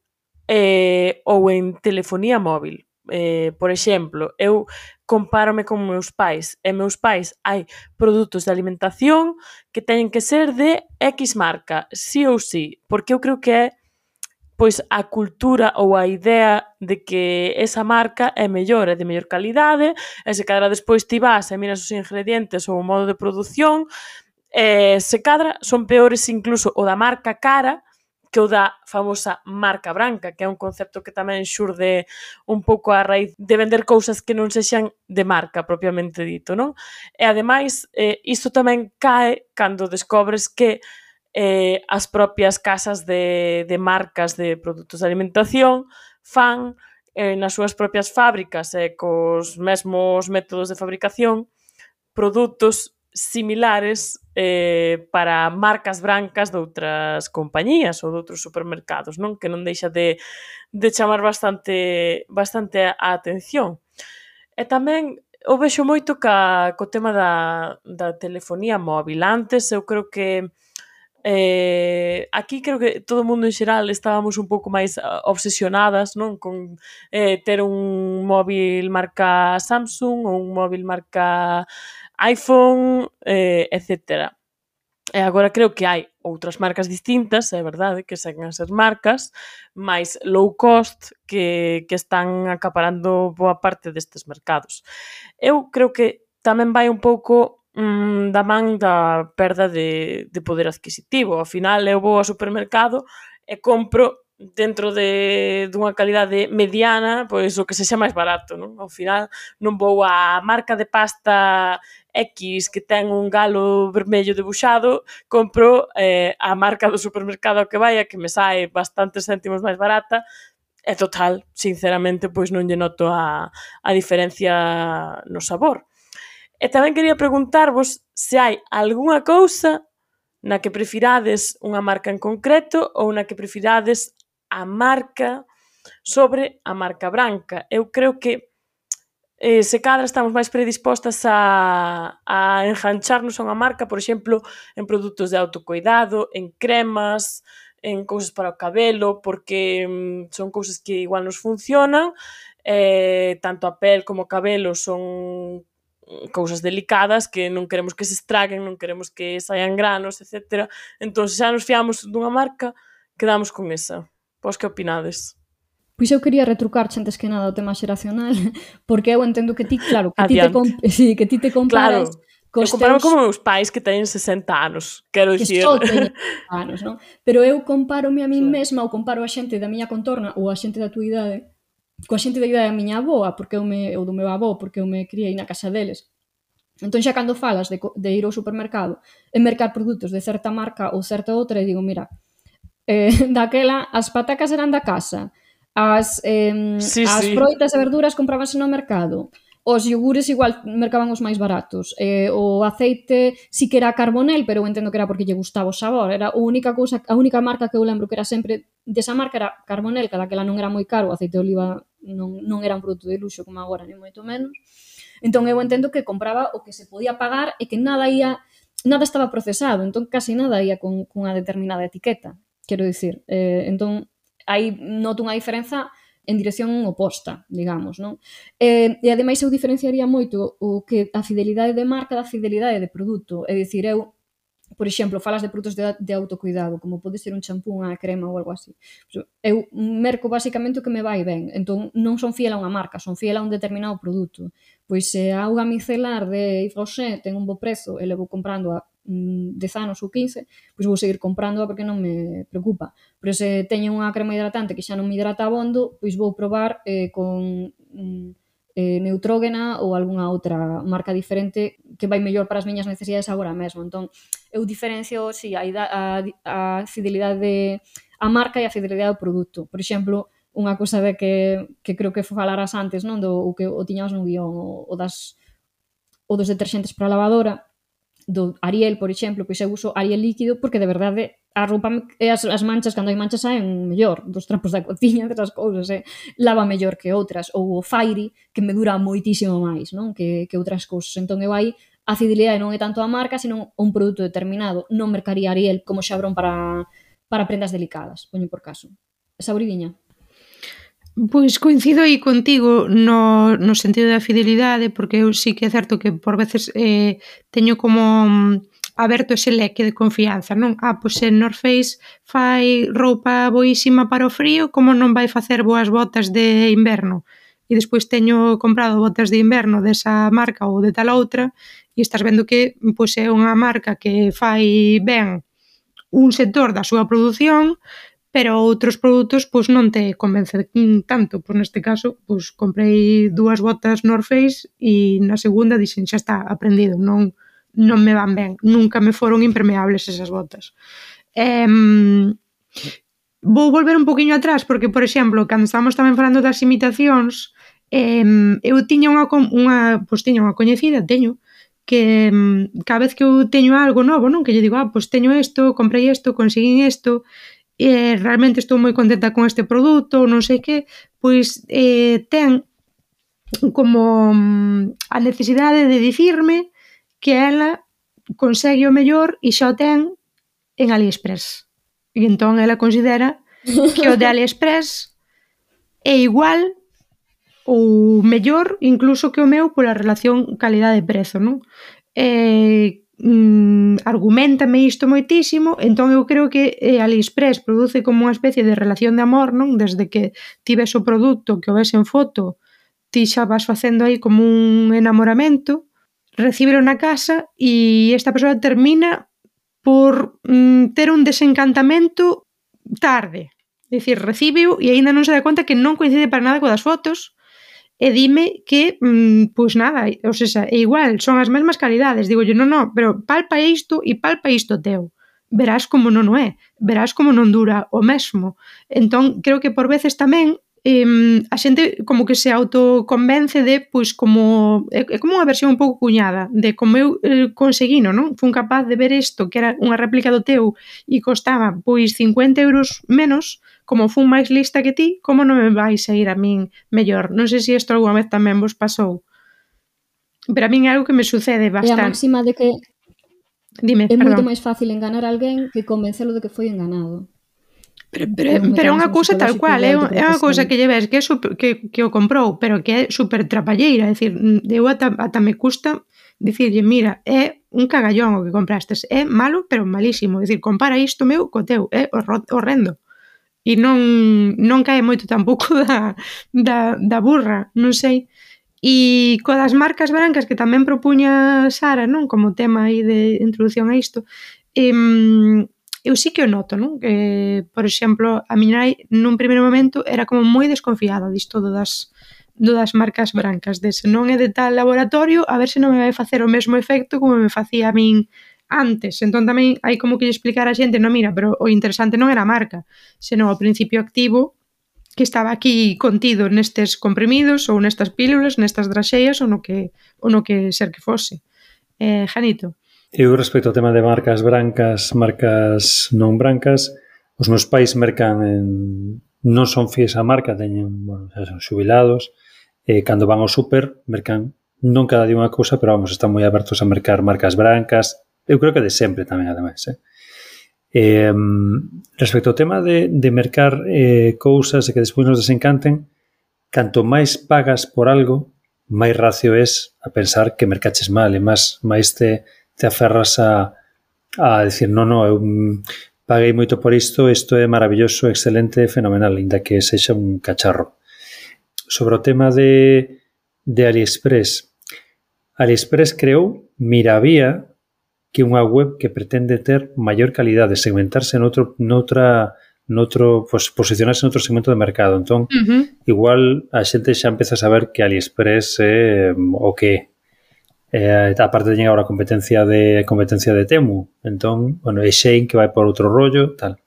eh, ou en telefonía móvil. Eh, por exemplo, eu compárome con meus pais e meus pais hai produtos de alimentación que teñen que ser de X marca, sí ou sí, porque eu creo que é pois a cultura ou a idea de que esa marca é mellor, é de mellor calidade, e se cadra despois ti vas e miras os ingredientes ou o modo de produción, e se cadra son peores incluso o da marca cara que o da famosa marca branca, que é un concepto que tamén xurde un pouco a raíz de vender cousas que non sexan de marca propiamente dito, non? E ademais, eh, isto tamén cae cando descobres que eh, as propias casas de, de marcas de produtos de alimentación fan eh, nas súas propias fábricas e eh, cos mesmos métodos de fabricación produtos similares eh, para marcas brancas de outras compañías ou de outros supermercados, non? Que non deixa de, de chamar bastante, bastante a atención. E tamén o vexo moito ca, co tema da, da telefonía móvil. Antes eu creo que Eh, aquí creo que todo o mundo en xeral estábamos un pouco máis obsesionadas, non, con eh, ter un móvil marca Samsung ou un móvil marca iPhone, eh, etcétera. E agora creo que hai outras marcas distintas, é verdade, que seguen a ser marcas máis low cost que, que están acaparando boa parte destes mercados. Eu creo que tamén vai un pouco mm, da man da perda de, de poder adquisitivo. Ao final, eu vou ao supermercado e compro dentro de dunha calidade mediana, pois o que sexa máis barato, non? Ao final non vou á marca de pasta X que ten un galo vermello debuxado, compro eh, a marca do supermercado ao que vai, a que me sae bastantes céntimos máis barata, e total, sinceramente, pois non lle noto a, a diferencia no sabor. E tamén quería preguntarvos se hai algunha cousa na que prefirades unha marca en concreto ou na que prefirades a marca sobre a marca branca. Eu creo que eh, se cadra estamos máis predispostas a, a engancharnos a unha marca, por exemplo, en produtos de autocuidado, en cremas, en cousas para o cabelo, porque mm, son cousas que igual nos funcionan, eh, tanto a pel como o cabelo son cousas delicadas que non queremos que se estraguen, non queremos que saian granos, etcétera. Entón, se xa nos fiamos dunha marca, quedamos con esa. Vos que opinades? Pois eu quería retrucar antes que nada o tema xeracional, porque eu entendo que ti, claro, que ti te, Adiante. sí, que ti te comparas Claro, cos eu comparo teus... como meus pais que teñen sesenta anos, quero que dicir. só teñen anos, non? Pero eu compárome a min Sí. mesma ou comparo a xente da miña contorna ou a xente da tua idade coa xente da idade da miña avoa, porque eu me, ou do meu avó, porque eu me criei na casa deles. Entón xa cando falas de, de ir ao supermercado e mercar produtos de certa marca ou certa outra, e digo, mira, eh, daquela as patacas eran da casa, as, eh, Sí, as sí. froitas e verduras comprábanse no mercado, os iogures igual mercaban os máis baratos, eh, o aceite sí que era Carbonell, pero eu entendo que era porque lle gustaba o sabor, era a única cousa, a única marca que eu lembro que era sempre desa marca era Carbonell, que daquela non era moi caro, o aceite de oliva non, non era un produto de luxo como agora, ni moito menos. Entón eu entendo que compraba o que se podía pagar e que nada ia, nada estaba procesado, entón casi nada ia con, con unha determinada etiqueta, quero dicir. Eh, entón aí noto unha diferenza en dirección oposta, digamos, non? E, e ademais eu diferenciaría moito o que a fidelidade de marca da fidelidade de produto, é dicir, eu por exemplo, falas de produtos de, de autocuidado, como pode ser un champú, unha crema ou algo así. Eu merco basicamente o que me vai ben, entón non son fiel a unha marca, son fiel a un determinado produto. Pois se a auga micelar de Yves Rocher ten un bo prezo e levo comprando a mm, dez anos ou quince, pois vou seguir comprándoa porque non me preocupa. Pero se teño unha crema hidratante que xa non me hidrata abondo, pois vou probar eh, con... Mm, eh, Neutrógena ou algunha outra marca diferente que vai mellor para as miñas necesidades agora mesmo. Entón, eu diferencio, si, a, a, a fidelidade de a marca e a fidelidade ao produto. Por exemplo, unha cousa de que, que creo que falaras antes, non, do o que o tiñamos no guión, o, o das o dos deterxentes para a lavadora, do Ariel, por exemplo, pois eu uso Ariel líquido porque de verdade a roupa e as, as manchas, cando hai manchas saen mellor dos trampos da cociña, desas cousas, eh? Lava mellor que outras, ou o Fairy, que me dura moitísimo máis, non? Que, que outras cousas. Entón eu aí a fidelidade non é tanto a marca, sino un produto determinado. Non mercaría Ariel como xabrón para, para prendas delicadas, poño por caso. Sauridiña? Pois coincido aí contigo no, no sentido da fidelidade, porque eu sí que é certo que por veces eh, teño como aberto ese leque de confianza, non? Ah, pois se North Face fai roupa boísima para o frío, como non vai facer boas botas de inverno? E despois teño comprado botas de inverno desa marca ou de tal outra e estás vendo que pois, é unha marca que fai ben un sector da súa produción, pero outros produtos pois non te convencen tanto. Pois neste caso, pois comprei dúas botas North Face e na segunda dixen, xa está, aprendido, non non me van ben, nunca me foron impermeables esas botas. Eh, vou volver un poquinho atrás porque, por exemplo, cando estábamos tamén falando das imitacións, eh, eu tiña unha, unha, pois tiña unha coñecida, teño, que cada vez que eu teño algo novo, non, que lle digo, ah, pois teño isto, comprei isto, conseguín isto, e realmente estou moi contenta con este produto, non sei que, pois eh, ten como a necesidade de dicirme que ela consegue o mellor e xa o ten en AliExpress. E entón ela considera que o de AliExpress é igual ou mellor incluso que o meu pola relación calidade-prezo, non? E, mm, argumentame isto moitísimo, entón eu creo que eh, AliExpress produce como unha especie de relación de amor, non? Desde que ti ves o produto, que o ves en foto, ti xa vas facendo aí como un enamoramento, recíbelo na casa e esta persoa termina por mm, ter un desencantamento tarde. É dicir, recíbeo e aínda non se dá conta que non coincide para nada coas fotos e dime que, mmm, pois nada, ou seja, é igual, son as mesmas calidades. Digo, non, non, pero palpa isto e palpa isto teu. Verás como non o é, verás como non dura o mesmo. Entón, creo que por veces tamén eh, a xente como que se autoconvence de, pois, como é, é como unha versión un pouco cuñada de como eu eh, conseguino, non? Fun capaz de ver isto, que era unha réplica do teu e costaba, pois, cincuenta euros menos, como fun máis lista que ti, como non me vais a ir a min mellor? Non sei se isto alguna vez tamén vos pasou. Pero a min é algo que me sucede bastante. É a máxima de que Dime, é perdón. moito máis fácil enganar a alguén que convencelo de que foi enganado. Pero, pero, pero é unha cousa tal cual, é, é unha cousa que lle ves que, é super, que, que o comprou, pero que é super trapalleira, é dicir, eu ata, ata me custa dicirlle, mira, é un cagallón o que comprastes, é malo, pero malísimo, é dicir, compara isto meu co teu, é horrendo. E non, non cae moito tampouco da, da, da burra, non sei. E coa das marcas brancas que tamén propuña Sara, non? Como tema aí de introducción a isto, eh, eu sí que o noto, non? Que, por exemplo, a miña nai nun primeiro momento era como moi desconfiada disto do das, do das marcas brancas, de se non é de tal laboratorio, a ver se non me vai facer o mesmo efecto como me facía a min antes. Entón tamén hai como que explicar a xente, non, mira, pero o interesante non era a marca, senón o principio activo que estaba aquí contido nestes comprimidos ou nestas pílulas, nestas draxeas ou no que, ou no que ser que fose. Eh, Janito. Eu respecto ao tema de marcas brancas, marcas non brancas, os meus pais mercan en, non son fies á marca, teñen, bueno, son xubilados, e cando van ao súper mercan non cada día unha cousa, pero vamos, están moi abertos a mercar marcas brancas. Eu creo que de sempre tamén, ademais. Eh? Eh, respecto ao tema de, de mercar eh, cousas e que despois nos desencanten, canto máis pagas por algo, máis racio es a pensar que mercaches mal, e máis, máis te, te aferras a, a decir, non, non, eu paguei moito por isto, isto é maravilloso, excelente, fenomenal, ainda que sexa un cacharro. Sobre o tema de, de AliExpress, AliExpress creou Miravía, que é unha web que pretende ter maior calidade, segmentarse noutro, noutra, noutro, pues, posicionarse noutro segmento de mercado. Entón, uh-huh. igual a xente xa empeza a saber que AliExpress é o que eh, aparte teñen agora competencia de competencia de Temu. Entón, bueno, é Shein que vai por outro rollo, tal.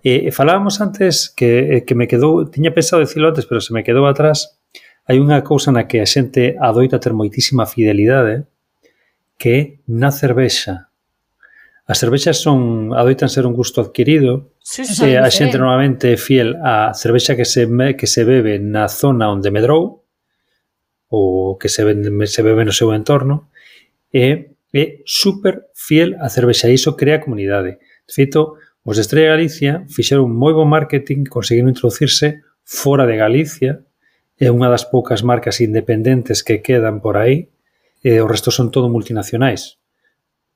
E, e falábamos antes que, que me quedou, tiña pensado dicilo antes, pero se me quedou atrás, hai unha cousa na que a xente adoita ter moitísima fidelidade, que é na cervexa. As cervexas son, adoitan ser un gusto adquirido, sí, sí, e a xente normalmente é fiel á cervexa que se, que se bebe na zona onde medrou, ou que se, vende, se bebe no seu entorno, e é super fiel á cervexa, e iso crea comunidade. De feito, os de Estrella Galicia fixeron un moi bo marketing, conseguiron introducirse fora de Galicia, é unha das poucas marcas independentes que quedan por aí, e o resto son todo multinacionais.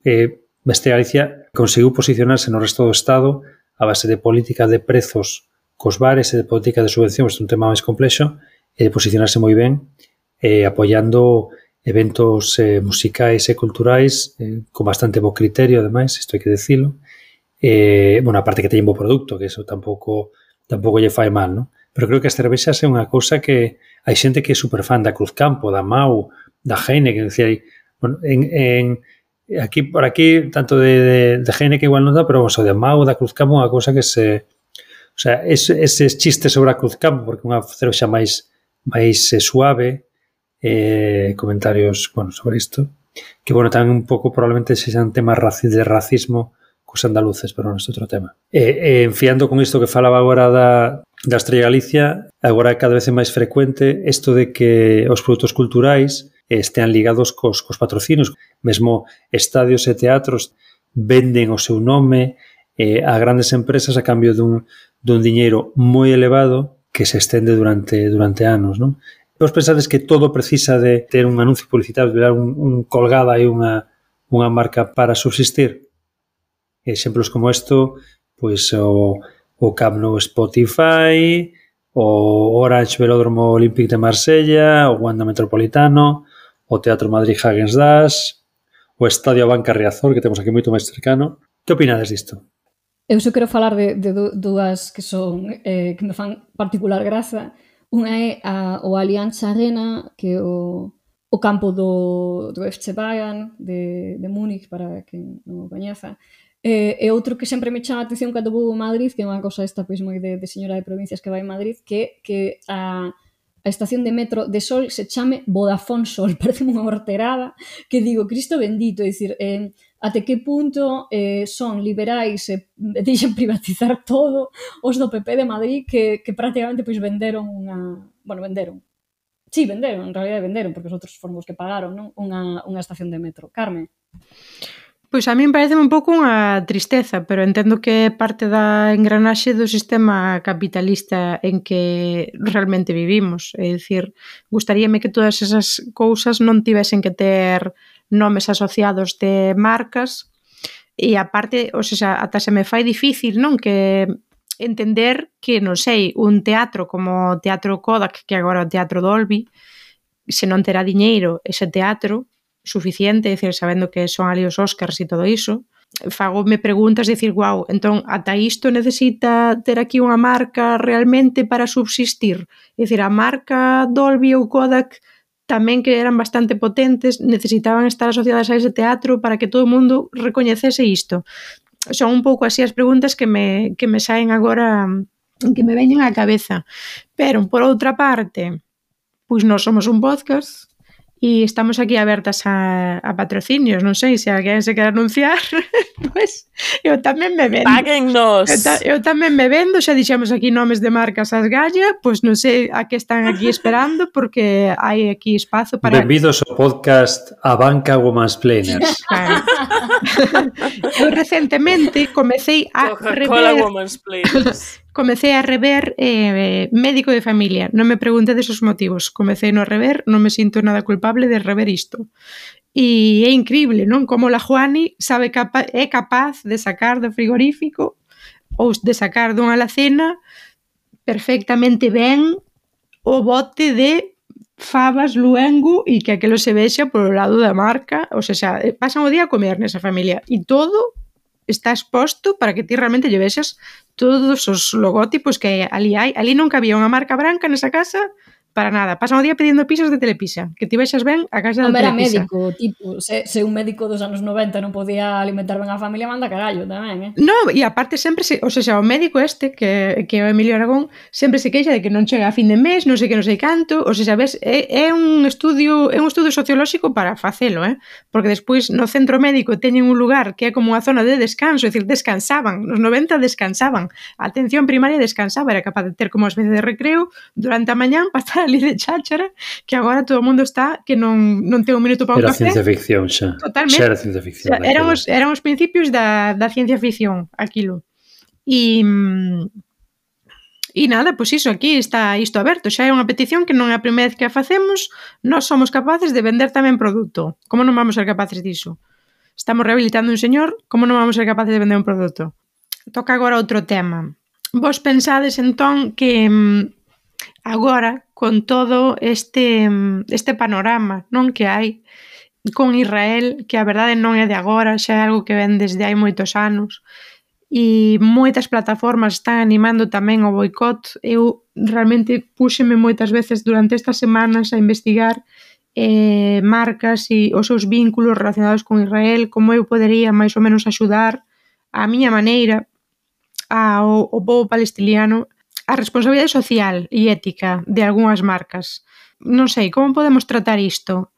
E Estrella Galicia conseguiu posicionarse no resto do Estado a base de política de prezos cos bares e de política de subvencións, é un tema máis complexo, e de posicionarse moi ben, eh, apoiando eventos eh, musicais e culturais eh, con bastante bo criterio, ademais, isto hai que decilo. Eh, bueno, aparte que teñen bo produto, que eso tampouco tampouco lle fai mal, non? Pero creo que as cervexas é unha cousa que hai xente que é super fan da Cruzcampo, da Mau, da Heineken, decía aí, bueno, en, en aquí por aquí tanto de, de, de Heineken igual non dá, pero vamos, o de Mau, da Cruzcampo, unha cousa que se, o sea, ese, eses chistes sobre a Cruzcampo, porque unha cervexa máis máis eh, suave, eh, comentarios, bueno, sobre isto, que bueno, tamén un pouco probablemente sexan temas de racismo cos andaluces, pero non é outro tema. E, e enfiando con isto que falaba agora da, da Estrella Galicia, agora cada vez é máis frecuente isto de que os produtos culturais estean ligados cos, cos patrocinios. Mesmo estadios e teatros venden o seu nome eh, a grandes empresas a cambio dun, dun diñeiro moi elevado que se estende durante, durante anos, non? Vos pensades que todo precisa de ter un anuncio publicitario, de dar un, un colgada e unha, unha marca para subsistir? Exemplos como isto, pois o, o Camp Nou Spotify, o Orange Velódromo Olímpic de Marsella, o Wanda Metropolitano, o Teatro Madrid Häagen-Dazs, o Estadio Abanca Riazor, que temos aquí moito máis cercano. Que opinades disto? Eu só quero falar de, de dúas que son eh, que me fan particular graza. Unha é a, o Allianz Arena, que é o, o campo do, do F C Bayern de, de Múnich, para quen non o coñeza. E, e outro que sempre me chama a atención cando vou a Madrid, que é unha cosa esta pois moi de, de señora de provincias que vai a Madrid, que, que a, a estación de metro de Sol se chame Vodafone Sol. Parece unha horterada que digo, Cristo bendito, é dicir, eh, até que punto eh, son liberais e eh, deixan privatizar todo os do P P de Madrid que, que prácticamente pois venderon unha... Bueno, venderon. Sí, venderon, en realidad venderon, porque os outros foron os que pagaron, non? Unha, unha estación de metro. Carmen? Pois a min parece un pouco unha tristeza, pero entendo que é parte da engranaxe do sistema capitalista en que realmente vivimos. É dicir, gustaríame que todas esas cousas non tivesen que ter nomes asociados de marcas e aparte, ou seja, ata se me fai difícil, non, que entender que, non sei, un teatro como o Teatro Kodak, que agora é o Teatro Dolby, se non terá diñeiro ese teatro suficiente, é dicir, sabendo que son ali os Óscars e todo iso, fagome preguntas de dicir, guau, entón, ata isto necesita ter aquí unha marca realmente para subsistir? É dicir, a marca Dolby ou Kodak tamén que eran bastante potentes, necesitaban estar asociadas a ese teatro para que todo o mundo recoñecese isto. Son un pouco así as preguntas que me, que me saen agora, que me veñen á cabeza. Pero, por outra parte, pois nós somos un podcast e estamos aquí abertas a, a patrocinios, non sei, se alguén se quer anunciar, pois eu tamén me vendo. Páguennos! Eu, ta, eu tamén me vendo, xa dixemos aquí nomes de marcas ás galla, pois non sei a que están aquí esperando, porque hai aquí espazo para... Benvidos ao podcast Abanca Womansplainers. Claro. Eu recentemente comecei a Coca-Cola rever... Womansplainers. Comecei a rever eh, Médico de Familia. Non me preguntedes os motivos. Comecei no rever, non me sinto nada culpable de rever isto. E é increíble, non? Como la Juani sabe capa é capaz de sacar do frigorífico ou de sacar dunha alacena perfectamente ben o bote de fabas luengo e que aquilo se vexa polo lado da marca. O sea, pasan o día a comer nesa familia e todo está exposto para que ti realmente lle vexas todos os logótipos que ali hai. Ali non cabía unha marca branca nesa casa para nada. Pasan o día pedindo pizzas de Telepisa. Que ti vexas ben a casa non da era Telepisa. médico, tipo, se, se un médico dos anos noventa non podía alimentar ben a familia, manda carallo tamén, eh? No, e aparte sempre se, o sea, o médico este que, que é o Emilio Aragón sempre se queixa de que non chega a fin de mes, non sei que non sei canto, o sea, sabes, é, é un estudio é un estudio sociolóxico para facelo, eh? Porque despois no centro médico teñen un lugar que é como unha zona de descanso, é dicir, descansaban, nos noventa descansaban, a atención primaria descansaba, era capaz de ter como uma especie de recreo durante a mañán para estar ali de cháchara, que agora todo o mundo está que non, non ten un minuto para un Era café. ciencia ficción xa. Totalmente. Xa era ciencia ficción. O sea, eran, os, eran os principios da, da ciencia ficción, aquilo. E, e nada, pois iso, aquí está isto aberto. Xa é unha petición que non é a primeira vez que a facemos. Nós somos capaces de vender tamén produto. Como non vamos ser capaces diso? Estamos rehabilitando un señor, como non vamos ser capaces de vender un produto? Toca agora outro tema. Vos pensades entón que agora, con todo este, este panorama non que hai con Israel, que a verdade non é de agora, xa é algo que ven desde hai moitos anos, e moitas plataformas están animando tamén o boicot. Eu realmente púxeme moitas veces durante estas semanas a investigar eh, marcas e os seus vínculos relacionados con Israel, como eu podería máis ou menos axudar a miña maneira ao, ao povo palestiniano, a responsabilidade social e ética de algunhas marcas. Non sei, como podemos tratar isto?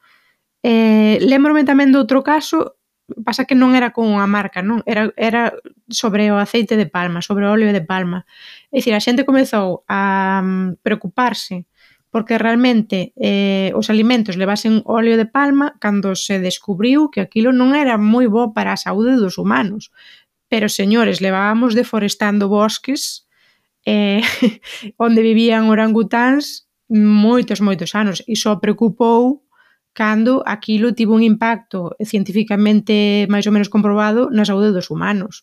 Eh, lembrome tamén de outro caso, pasa que non era con unha marca, non? Era, era sobre o aceite de palma, sobre o óleo de palma. É dicir, a xente comezou a preocuparse porque realmente eh, os alimentos levasen óleo de palma cando se descubriu que aquilo non era moi bo para a saúde dos humanos. pero señores, levábamos deforestando bosques eh, onde vivían orangutáns moitos, moitos anos, e só preocupou cando aquilo tivo un impacto científicamente máis ou menos comprobado na saúde dos humanos.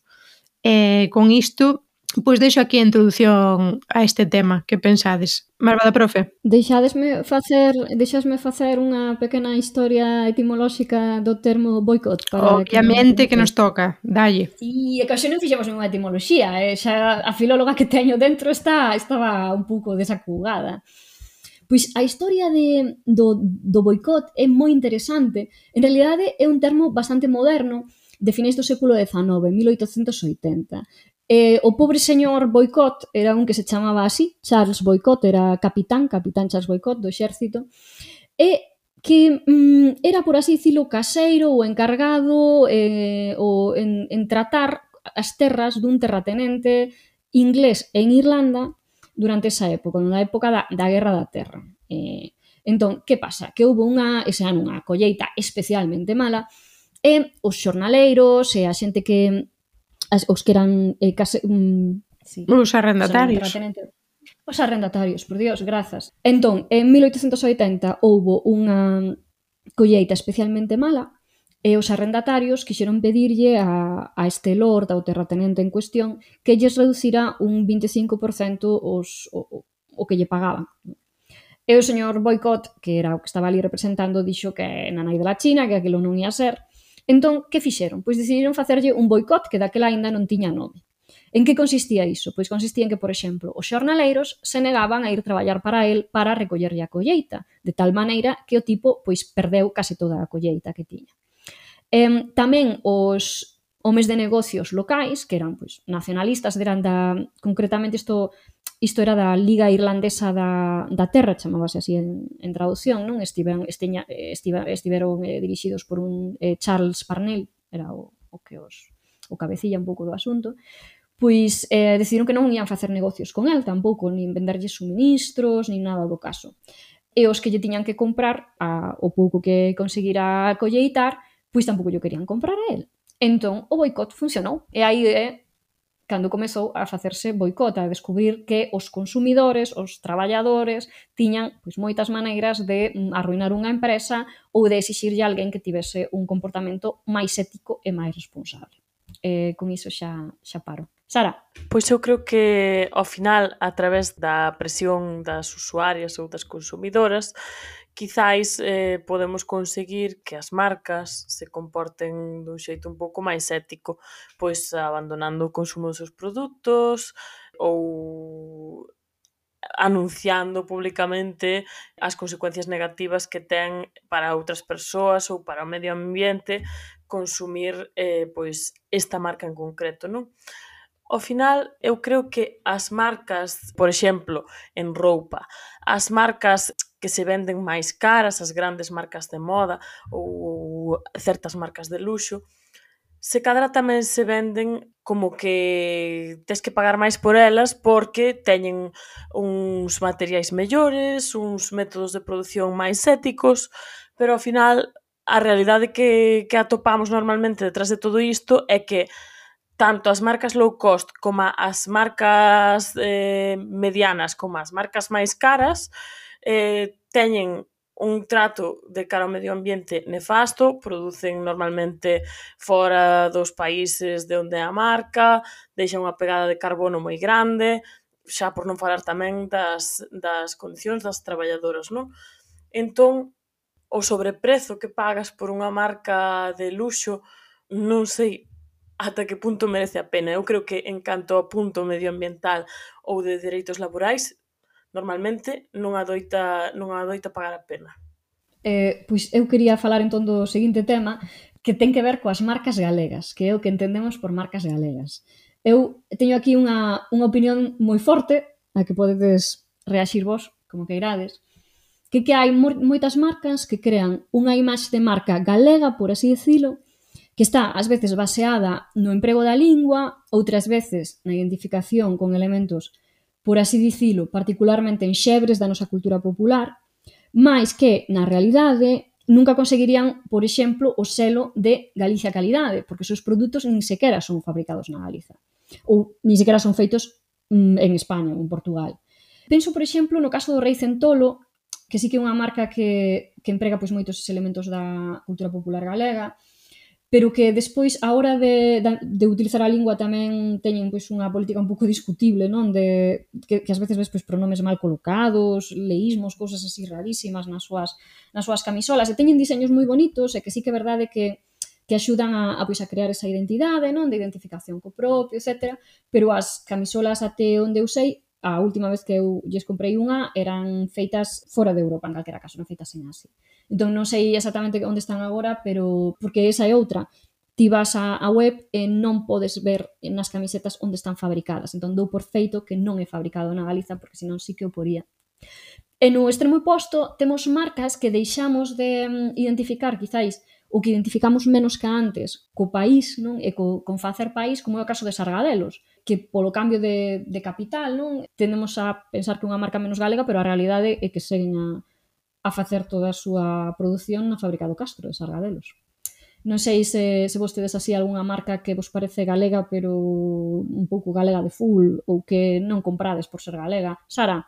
E con isto, pois deixo aquí a introdución a este tema. Que pensades? Malvada profe? Deixadesme facer, deixasme facer unha pequena historia etimolóxica do termo boicot para Obviamente que, que nos toca, dalle. E que hoxe non fixemos unha etimoloxía, eh? Xa a filóloga que teño dentro está estaba un pouco desacugada. Pois a historia de, do, do boicot é moi interesante. En realidade é un termo bastante moderno, de finais do século dezenove, mil oitocentos oitenta. Eh, o pobre señor Boicot era un que se chamaba así, Charles Boicot, era capitán, capitán Charles Boicot do exército, e que mm, era, por así dicilo, caseiro ou encargado eh, ou en, en tratar as terras dun terratenente inglés en Irlanda durante esa época, na época da, da Guerra da Terra. Eh, entón, que pasa? Que houve unha, ese ano unha colleita especialmente mala e os xornaleiros e a xente que as, os que eran eh, case, um, sí, os arrendatarios. O sea, os arrendatarios, por Dios, grazas. Entón, en mil oitocentos oitenta houve unha colleita especialmente mala e os arrendatarios quixeron pedirlle a, a este lord, ao terratenente en cuestión, que lles reducira un vinte e cinco por cento os, o, o que lle pagaban. E o señor Boicot, que era o que estaba ali representando, dixo que na nai de la China, que aquilo non ia ser. Entón, que fixeron? Pois decidiron facerlle un boicot que daquela aínda non tiña nome. En que consistía iso? Pois consistía en que, por exemplo, os xornaleiros se negaban a ir traballar para el para recollerlle a colleita, de tal maneira que o tipo pois perdeu case toda a colleita que tiña. Eh, tamén os homes de negocios locais, que eran pois nacionalistas, eran da, concretamente isto, isto era da Liga Irlandesa da, da Terra, chamábase así en, en traducción, non? Estiveron, estiña, estiva, estiveron eh, dirixidos por un eh, Charles Parnell, era o, o que os o cabecilla un pouco do asunto, pois eh, decidiron que non ian facer negocios con el tampouco, nin venderlle suministros, nin nada do caso. E os que lle tiñan que comprar a, o pouco que conseguira colleitar, pois tampouco lle querían comprar a el. Entón, o boicot funcionou. E aí é cando comezou a facerse boicot, a descubrir que os consumidores, os traballadores, tiñan pois, moitas maneiras de arruinar unha empresa ou de exixirlle a alguén que tivese un comportamento máis ético e máis responsable. Eh, con iso xa, xa paro. Sara? Pois eu creo que, ao final, a través da presión das usuarias ou das consumidoras, quizáis eh, podemos conseguir que as marcas se comporten dun xeito un pouco máis ético, pois abandonando o consumo dos seus produtos ou anunciando públicamente as consecuencias negativas que ten para outras persoas ou para o medio ambiente consumir eh, pois esta marca en concreto, non? Ao final, eu creo que as marcas, por exemplo, en roupa, as marcas que se venden máis caras, as grandes marcas de moda ou certas marcas de luxo, se cadra tamén se venden como que tes que pagar máis por elas porque teñen uns materiais mellores, uns métodos de produción máis éticos, pero ao final a realidade que, que atopamos normalmente detrás de todo isto é que tanto as marcas low cost como as marcas eh, medianas como as marcas máis caras eh, teñen un trato de cara ao medio ambiente nefasto, producen normalmente fora dos países de onde é a marca, deixan unha pegada de carbono moi grande, xa por non falar tamén das, das condicións das traballadoras, non? Entón, o sobreprezo que pagas por unha marca de luxo, non sei ata que punto merece a pena. Eu creo que en canto ao punto medioambiental ou de dereitos laborais, normalmente non adoita, non adoita pagar a pena. Eh, pois eu quería falar entón do seguinte tema que ten que ver coas marcas galegas, que é o que entendemos por marcas galegas. Eu teño aquí unha, unha opinión moi forte, a que podedes reaxir vos, como que irades, que que hai moitas marcas que crean unha imaxe de marca galega, por así dicilo, que está ás veces baseada no emprego da lingua, outras veces na identificación con elementos, por así dicilo, particularmente enxebres da nosa cultura popular, máis que, na realidade, nunca conseguirían, por exemplo, o selo de Galicia Calidade, porque os seus produtos nin sequera son fabricados na Galiza. Ou nin sequera son feitos mm, en España ou en Portugal. Penso, por exemplo, no caso do Rei Centolo, que sí que é unha marca que, que emprega pois, moitos elementos da cultura popular galega, pero que despois, a hora de, de, de utilizar a lingua tamén teñen pois, unha política un pouco discutible, non? De, que, que ás veces ves pois, pronomes mal colocados, leísmos, cousas así rarísimas nas súas, nas súas camisolas, e teñen diseños moi bonitos, e que sí que é verdade que, que axudan a, a, pois, a crear esa identidade, non? De identificación co propio, etcétera. Pero as camisolas até onde eu sei, a última vez que eu lles comprei unha eran feitas fora de Europa, en calquera caso, non feitas en Asia. Entón non sei exactamente onde están agora, pero porque esa é outra. Ti vas á web e non podes ver nas camisetas onde están fabricadas. Entón dou por feito que non é fabricado na Galiza, porque senón sí que o poría. E no extremo oposto temos marcas que deixamos de identificar, quizáis, o que identificamos menos que antes co país, non? E co, con facer país, como é o caso de Sargadelos, que polo cambio de, de capital, non? Tendemos a pensar que é unha marca menos galega, pero a realidade é que seguen a, a facer toda a súa produción na fábrica do Castro de Sargadelos. Non sei se, se vostedes así algunha marca que vos parece galega, pero un pouco galega de full, ou que non comprades por ser galega. Sara?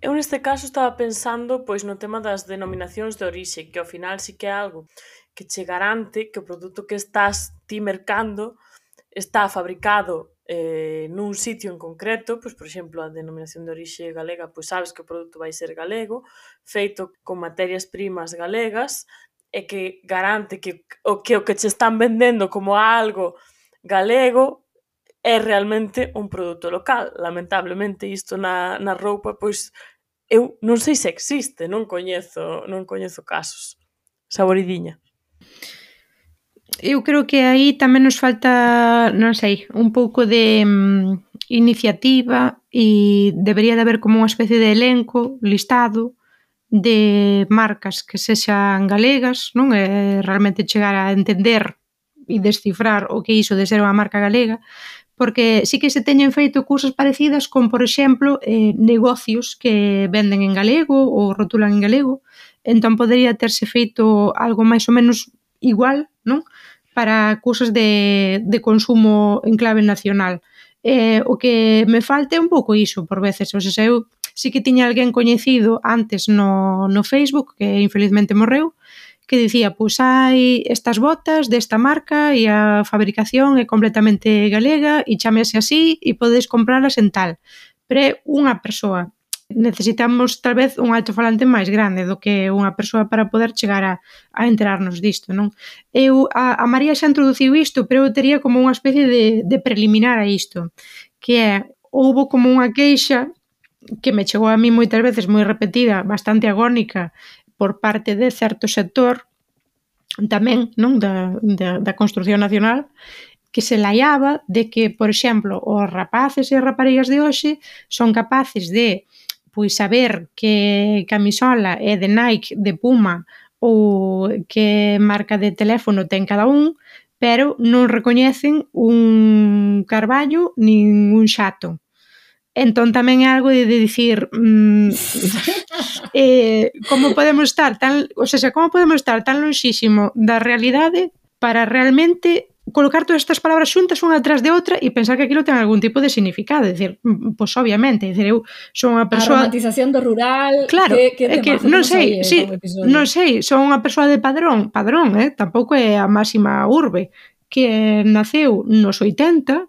Eu neste caso estaba pensando pois no tema das denominacións de orixe, que ao final sí que é algo que che garante que o produto que estás ti mercando está fabricado eh, nun sitio en concreto, pois, por exemplo, a denominación de orixe galega, pois sabes que o produto vai ser galego, feito con materias primas galegas, e que garante que o que, o que che están vendendo como algo galego é realmente un produto local. Lamentablemente, isto na, na roupa, pois, eu non sei se existe, non coñezo, non coñezo casos. Saboridiña. Eu creo que aí tamén nos falta, non sei, un pouco de um, iniciativa e debería de haber como unha especie de elenco, listado, de marcas que sexan galegas, non? E realmente chegar a entender e descifrar o que é iso de ser unha marca galega, porque sí que se teñen feito cousas parecidas con, por exemplo, eh, negocios que venden en galego ou rotulan en galego, entón podería terse feito algo máis ou menos igual, non? Para cousas de, de consumo en clave nacional. Eh, o que me falta é un pouco iso, por veces. O sea, eu sí que tiña alguén coñecido antes no, no Facebook, que infelizmente morreu, que dicía, pois hai estas botas desta marca e a fabricación é completamente galega e chámese así e podedes compralas en tal. Pero é unha persoa. Necesitamos tal vez un altofalante máis grande do que unha persoa para poder chegar a, a enterarnos disto, non? Eu, a, a María xa introduciu isto, pero eu tería como unha especie de, de preliminar a isto, que é, houbo como unha queixa que me chegou a mí moitas veces moi repetida, bastante agónica, por parte de certo sector tamén, non, da, da, da construción nacional, que se laiaba de que, por exemplo, os rapaces e as raparigas de hoxe son capaces de pois saber que camisola é de Nike, de Puma ou que marca de teléfono ten cada un, pero non recoñecen un Carballo nin un Xato. Entón tamén é algo de, de dicir mmm, eh, como podemos estar tan, o sea, como podemos estar tan lonxísimo da realidade para realmente colocar todas estas palabras xuntas unha atrás de outra e pensar que aquilo ten algún tipo de significado. É dicir, pois obviamente, é dicir, eu son unha persoa... A romantización do rural... Claro, que, que é que non sei, sí, non sei, son unha persoa de padrón, padrón, eh? Tampouco é a máxima urbe, que naceu nos oitenta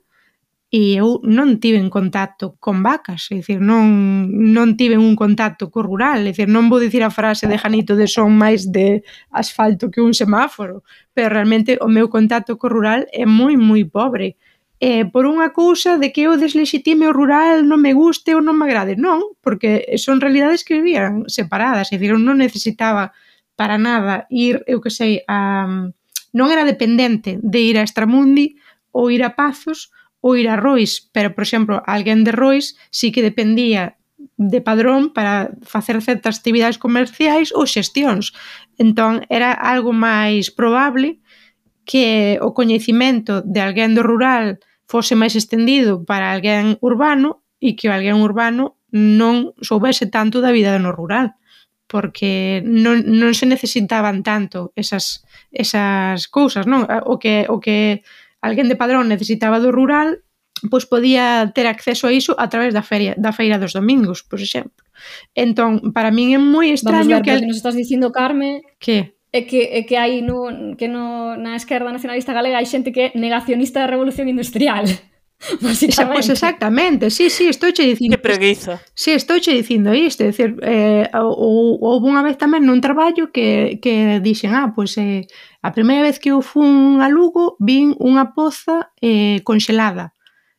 e eu non tiven contacto con vacas, é dicir, non, non tiven un contacto co rural, é dicir, non vou dicir a frase de Janito de son máis de asfalto que un semáforo, pero realmente o meu contacto co rural é moi, moi pobre. E por unha cousa de que eu deslexitime o rural, non me guste ou non me agrade, non, porque son realidades que vivían separadas, é dicir, eu non necesitaba para nada ir, eu que sei, a... non era dependente de ir a Extramundi ou ir a Pazos ou ir a Rois, pero, por exemplo, alguén de Rois sí que dependía de padrón para facer certas actividades comerciais ou xestións. Entón, era algo máis probable que o coñecimento de alguén do rural fose máis estendido para alguén urbano e que o alguén urbano non soubese tanto da vida no rural. porque non, non se necesitaban tanto esas, esas cousas, non? O que, o que alguén de Padrón necesitaba do rural, pois podía ter acceso a iso a través da feria, da feira dos domingos, por exemplo. Entón, para min é moi extraño Vamos ver, que... Vamos ver, que nos estás dicindo, Carme... Que? É que, é que hai no, que no, na esquerda nacionalista galega hai xente que é negacionista da revolución industrial. Esa, pois exactamente, sí, sí, estou che dicindo. Que preguiza. Sí, estou che dicindo isto, é dicir, eh, ou, houve unha vez tamén nun traballo que, que dixen, ah, pois eh, a primeira vez que eu fun a Lugo vin unha poza eh, conxelada.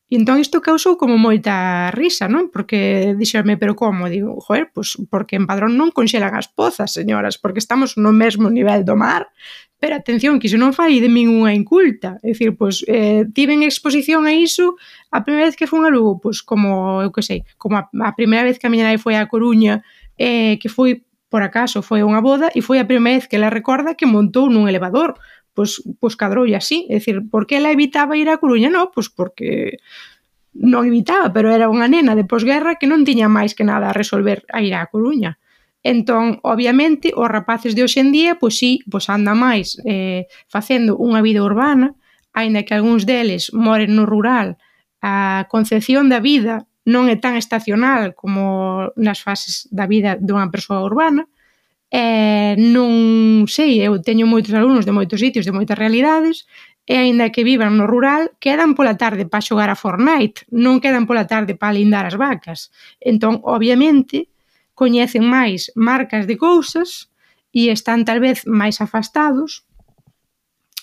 E entón isto causou como moita risa, non? Porque dixerme, pero como? Digo, joder, pois porque en Padrón non conxelan as pozas, señoras, porque estamos no mesmo nivel do mar. Pero atención, que iso non fai de min unha inculta. É dicir, pois, eh, tiven exposición a iso a primeira vez que fun a Lugo, pois como, eu que sei, como a, a primeira vez que a miña nai foi a Coruña, eh, que foi, por acaso, foi unha boda, e foi a primeira vez que ela recorda que montou nun elevador. Pois, pois cadroulle así. É dicir, por que ela evitaba ir a Coruña? Non, pois porque non evitaba, pero era unha nena de posguerra que non tiña máis que nada a resolver a ir a Coruña. Entón, obviamente, os rapaces de hoxe en día, pois sí, pois andan máis eh, facendo unha vida urbana, aínda que algúns deles moren no rural, a concepción da vida non é tan estacional como nas fases da vida dunha persoa urbana. Eh, non sei, eu teño moitos alumnos de moitos sitios, de moitas realidades, e aínda que vivan no rural, quedan pola tarde para xogar a Fortnite, non quedan pola tarde para lindar as vacas. Entón, obviamente, coñecen máis marcas de cousas e están tal vez máis afastados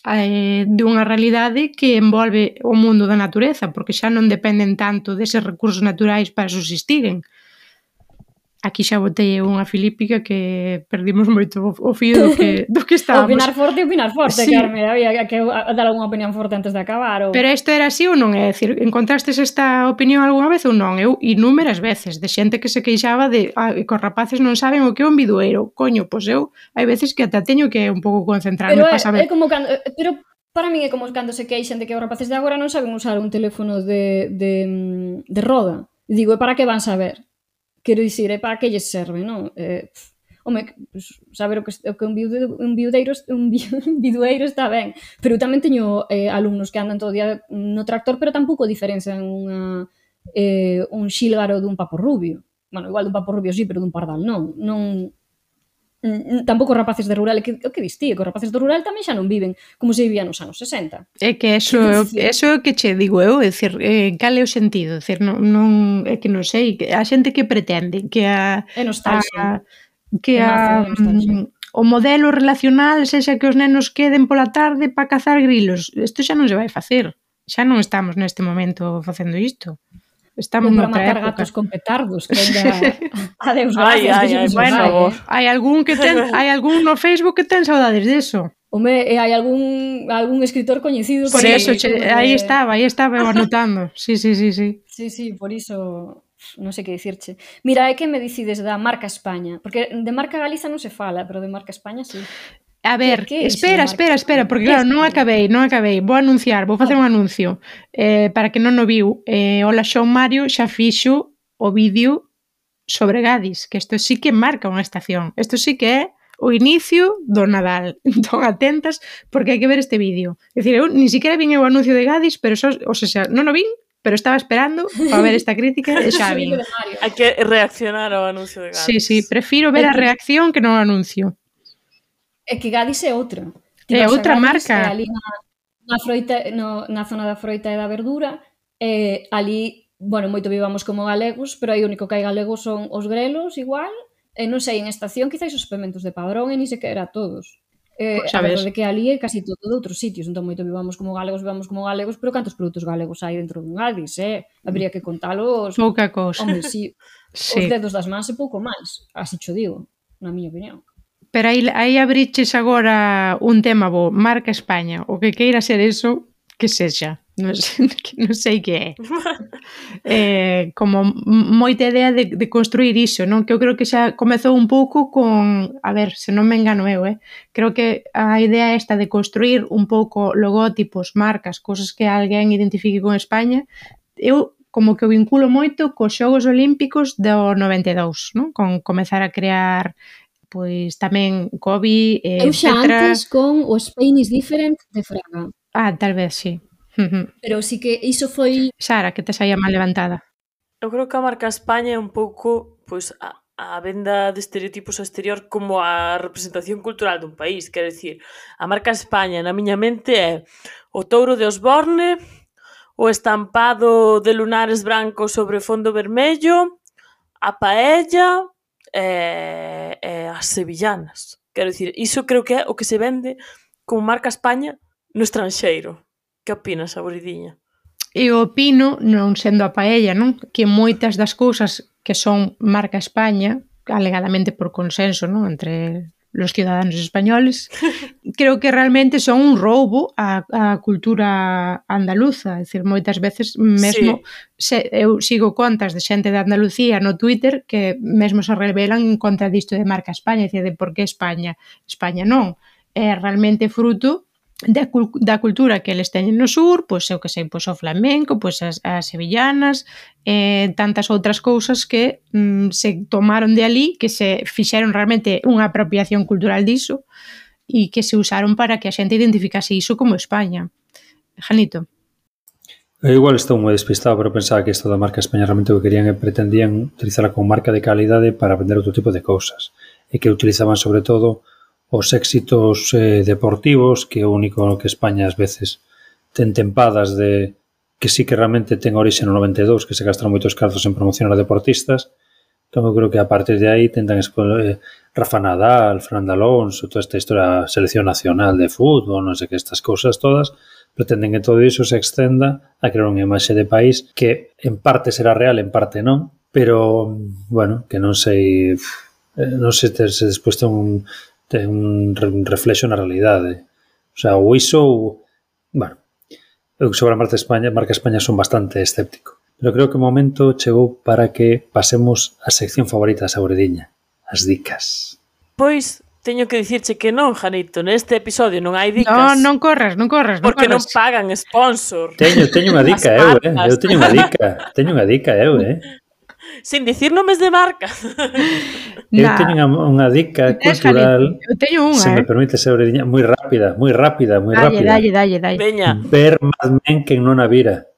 eh, dunha realidade que envolve o mundo da natureza, porque xa non dependen tanto deses recursos naturais para subsistiren. Aquí xa botei unha filípica que perdimos moito o fío do que, do que estábamos. Opinar forte, opinar forte, Sí. Carme. Había que dar unha opinión forte antes de acabar. Ou... Pero isto era así ou non? É dicir, encontrastes esta opinión algunha vez ou non? Eu inúmeras veces, de xente que se queixaba de ah, que os rapaces non saben o que é un bidueiro. Coño, pois eu, hai veces que ata teño que un pouco concentrarme pero para é, saber. é como cando... Pero para min é como cando se queixan de que os rapaces de agora non saben usar un teléfono de, de, de roda. E digo, e para que van saber? Quero dicir, é para que lles serve, non? Eh, home, pues, saber o que, o que un, biudeiro, un, biudeiro, un, un bidueiro está ben. Pero eu tamén teño eh, alumnos que andan todo o día no tractor, pero tampouco diferencian unha, eh, un xílgaro dun papo rubio. Bueno, igual dun papo rubio sí, pero dun pardal non. Non... Tampouco os rapaces de rural, que, o que dis ti, que os rapaces do rural tamén xa non viven como se vivían nos anos sesenta. É que eso, eso é o que che digo eu, é dicir, eh, cal é o sentido? É dicir, non, non, é que non sei, a xente que pretende que a, é nostalgia. A, que a, o modelo relacional sexa que os nenos queden pola tarde para cazar grilos. Isto xa non se vai facer. Xa non estamos neste momento facendo isto. Estamos para noutra matar época. Gatos con petardos, que ainda adeus Ai, gracias. ai, ai, bueno, hai algún que ten, hai algún no Facebook que ten saudades deso. Home, e hai algún algún escritor coñecido por que eso, che, aí estaba, aí estaba eu anotando. Sí, sí, sí, sí. Sí, sí, por iso non sei que dicirche. Mira, é que me dicides da marca España, porque de marca Galiza non se fala, pero de marca España sí. A ver, que, que espera, espera, espera, porque claro, non acabei, non acabei. Vou anunciar, vou facer un anuncio eh, para que non o viu. Eh, Ola Xon Mario xa fixo o vídeo sobre Gadis, que isto sí que marca unha estación. Isto sí que é o inicio do Nadal. Entón, atentas, porque hai que ver este vídeo. É dicir, eu ni siquiera vin o anuncio de Gadis, pero só, o sea, non o vin, pero estaba esperando para ver esta crítica e xa vin. Hai que reaccionar ao anuncio de Gadis. Sí, sí, prefiro ver a reacción que non o anuncio. É que Gadis é outra. É outra marca. É ali na, na, froita, no, na zona da froita e da verdura, e ali, bueno, moito vivamos como galegos, pero aí o único que hai galegos son os grelos, igual, e non sei, en estación quizás os suplementos de Padrón e ni sequera todos. Eh, pues, a verdade que ali é casi todo de outros sitios, entón moito vivamos como galegos, vivamos como galegos, pero cantos produtos galegos hai dentro dun Gadis, eh? Habría que contalos... Pouca cousa. Home, si, sí. Os dedos das mans e pouco máis, así cho digo, na miña opinión. Pero aí, aí abriches agora un tema bo, marca España, o que queira ser eso, que sexa, non sei, non sei que é. eh, como moita idea de, de construir iso, non? Que eu creo que xa comezou un pouco con, a ver, se non me engano eu, eh? Creo que a idea esta de construir un pouco logótipos, marcas, cosas que alguén identifique con España, eu como que o vinculo moito cos Xogos Olímpicos do noventa e dous, non? Con comezar a crear pois tamén COVID, eh, Eu xa etcétera. antes con o Spain is Different de Fraga. Ah, tal vez, sí. Pero sí que iso foi... Sara, que te saía mal levantada. Eu creo que a marca España é un pouco pois a, a venda de estereotipos ao exterior como a representación cultural dun país. Quero dicir, a marca España na miña mente é o touro de Osborne, o estampado de lunares brancos sobre fondo vermello, a paella e, e as sevillanas. Quero dicir, iso creo que é o que se vende como marca España no estranxeiro. Que opinas, Saboridiña? Eu opino, non sendo a paella, non? Que moitas das cousas que son marca España, alegadamente por consenso, non? Entre los ciudadanos españoles, creo que realmente son un roubo á, á cultura andaluza. É dicir, moitas veces mesmo Sí. se, eu sigo contas de xente de Andalucía no Twitter que mesmo se revelan en contra disto de marca España, é dicir, de por que España? España non. É realmente fruto da, da cultura que eles teñen no sur, pois eu que sei, pois o flamenco, pois as, as sevillanas, eh, tantas outras cousas que mm, se tomaron de ali, que se fixeron realmente unha apropiación cultural diso e que se usaron para que a xente identificase iso como España. Janito. Eu igual estou moi despistado, pero pensaba que isto da marca España realmente o que querían e pretendían utilizarla como marca de calidade para vender outro tipo de cousas e que utilizaban sobre todo os éxitos eh, deportivos, que é o único que España ás veces ten tempadas de que sí que realmente ten orixe no noventa e dous, que se gastan moitos carzos en promocionar a deportistas. Entón, eu creo que a partir de aí tentan eh, Rafa Nadal, Fernando Alonso, toda esta historia, selección nacional de fútbol, non sei que, estas cousas todas, pretenden que todo iso se extenda a crear unha imaxe de país que en parte será real, en parte non, pero, bueno, que non sei, non sei se despois ten un ten un reflexo na realidade. O sea, o iso, bueno, eu sobre a marca España, marca España son bastante escéptico. Pero creo que o momento chegou para que pasemos a sección favorita da Saboridiña, as dicas. Pois, teño que dicirche que non, Janito, neste episodio non hai dicas. Non, non corras, non corras, non porque corras. non pagan sponsor. Teño, teño unha dica eu, eh? Eu teño unha dica, teño unha dica eu, eh? Sin dicir nomes de marca. Eu teño unha, unha dica cultural, eu teño unha, se me eh? permite ser oriña, moi rápida, moi rápida, moi dalle, rápida. dalle, dalle, dalle. Veña. Ver Mad Men quen non a vira.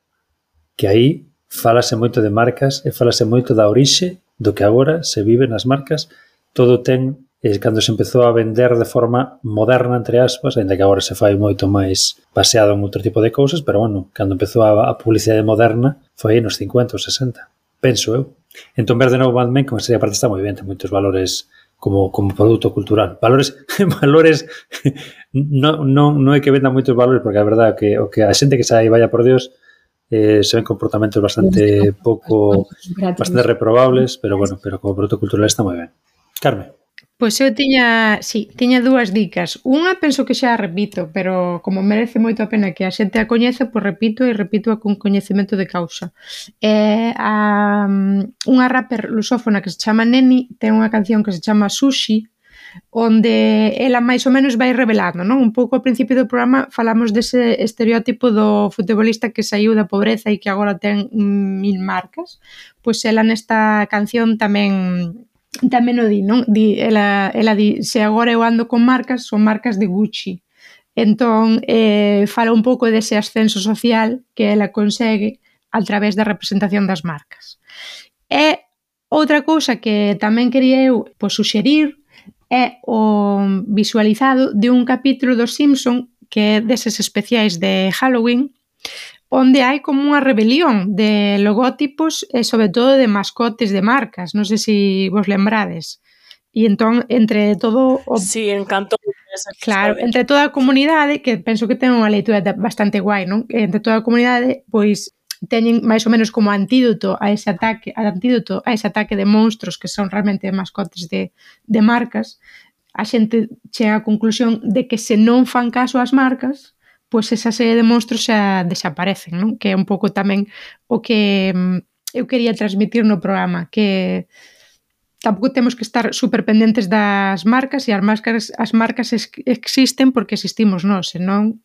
Que aí falase moito de marcas e falase moito da orixe do que agora se vive nas marcas. Todo ten, eh, cando se empezou a vender de forma moderna, entre aspas, ainda que agora se fai moito máis baseado en outro tipo de cousas, pero bueno, cando empezou a, a publicidade moderna foi aí nos cincuenta ou sesenta, penso eu. Entón, ver de novo Mad Men, como sería parte, está moi ben, ten moitos valores como, como produto cultural. Valores, valores non, non, non é que venda moitos valores, porque a verdade é que o que a xente que sai, vaya por Dios, eh, se ven comportamentos bastante pouco, bastante reprobables, pero bueno, pero como produto cultural está moi ben. Carme. Pois eu tiña, sí, tiña dúas dicas. Unha penso que xa a repito, pero como merece moito a pena que a xente a coñeza, pois repito e repito con coñecemento de causa. Eh, a, unha rapper lusófona que se chama Neni ten unha canción que se chama Sushi, onde ela máis ou menos vai revelando, non? Un pouco ao principio do programa falamos dese estereótipo do futbolista que saiu da pobreza e que agora ten mil marcas. Pois ela nesta canción tamén tamén o di, non? Di, ela, ela di, se agora eu ando con marcas, son marcas de Gucci. Entón, eh, fala un pouco dese ascenso social que ela consegue a través da representación das marcas. E outra cousa que tamén quería eu pois, suxerir é o visualizado de un capítulo dos Simpson que é deses especiais de Halloween, onde hai como unha rebelión de logótipos e sobre todo de mascotes de marcas, non sei se vos lembrades. E entón, entre todo o... Sí, encantou esa Claro, entre toda a comunidade, que penso que ten unha leitura bastante guai, non? Entre toda a comunidade, pois teñen máis ou menos como antídoto a ese ataque, antídoto a ese ataque de monstros que son realmente mascotes de, de marcas. A xente chega á conclusión de que se non fan caso ás marcas, pois esa serie de monstros xa desaparecen, non? Que é un pouco tamén o que eu quería transmitir no programa, que tampouco temos que estar super pendentes das marcas e as marcas, as marcas existen porque existimos nós, senón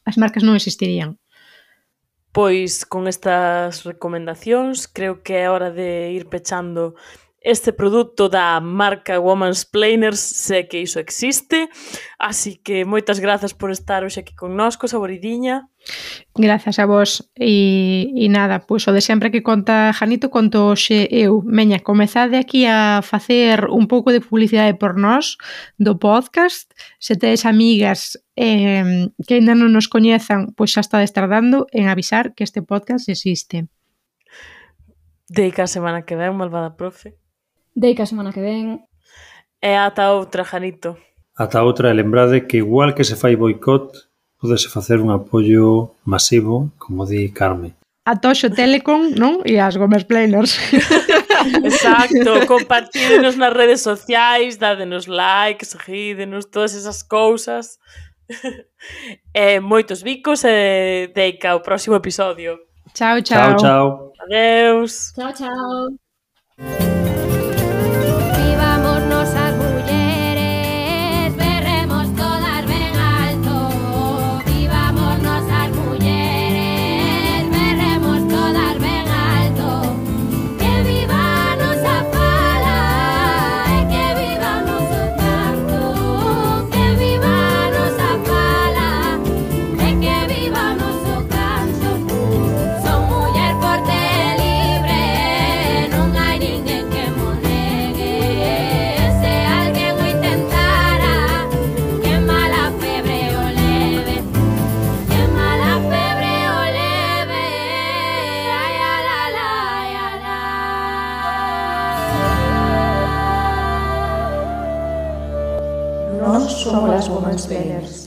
as marcas non existirían. Pois con estas recomendacións creo que é hora de ir pechando este produto da marca Womansplainers, sé que iso existe, así que moitas grazas por estar hoxe aquí connosco, Saboridiña. Grazas a vos e, e nada, pois o de sempre que conta Janito conto hoxe eu. Meña, comezade aquí a facer un pouco de publicidade por nós do podcast. Se tedes amigas eh, que ainda non nos coñezan, pois xa estades tardando en avisar que este podcast existe. Deica a semana que ven, malvada profe. Deica a semana que ven. E ata outra, Janito. Ata outra, e lembrade que igual que se fai boicot, podese facer un apoio masivo, como di Carme. A Toxo Telecom, non? E as Womansplainers. Exacto, compartídenos nas redes sociais, dádenos like, seguídenos, todas esas cousas. E moitos bicos e deica o próximo episodio. Chao, chao. Chao, chao. Adeus. Chao, chao. Vivámonos as mulleres, berremos todas ben alto. Vivámonos as mulleres, berremos todas ben alto. Que viva a nosa fala e que viva o noso canto. Que viva a nosa fala e que viva o noso canto. Son muller forte e libre, non hai ninguén que mo negue. Se alguén o intentara, que mala febre o leve, que mala febre o leve. Ai, ala, ala, ai, ala. Nós somos as Womansplainers.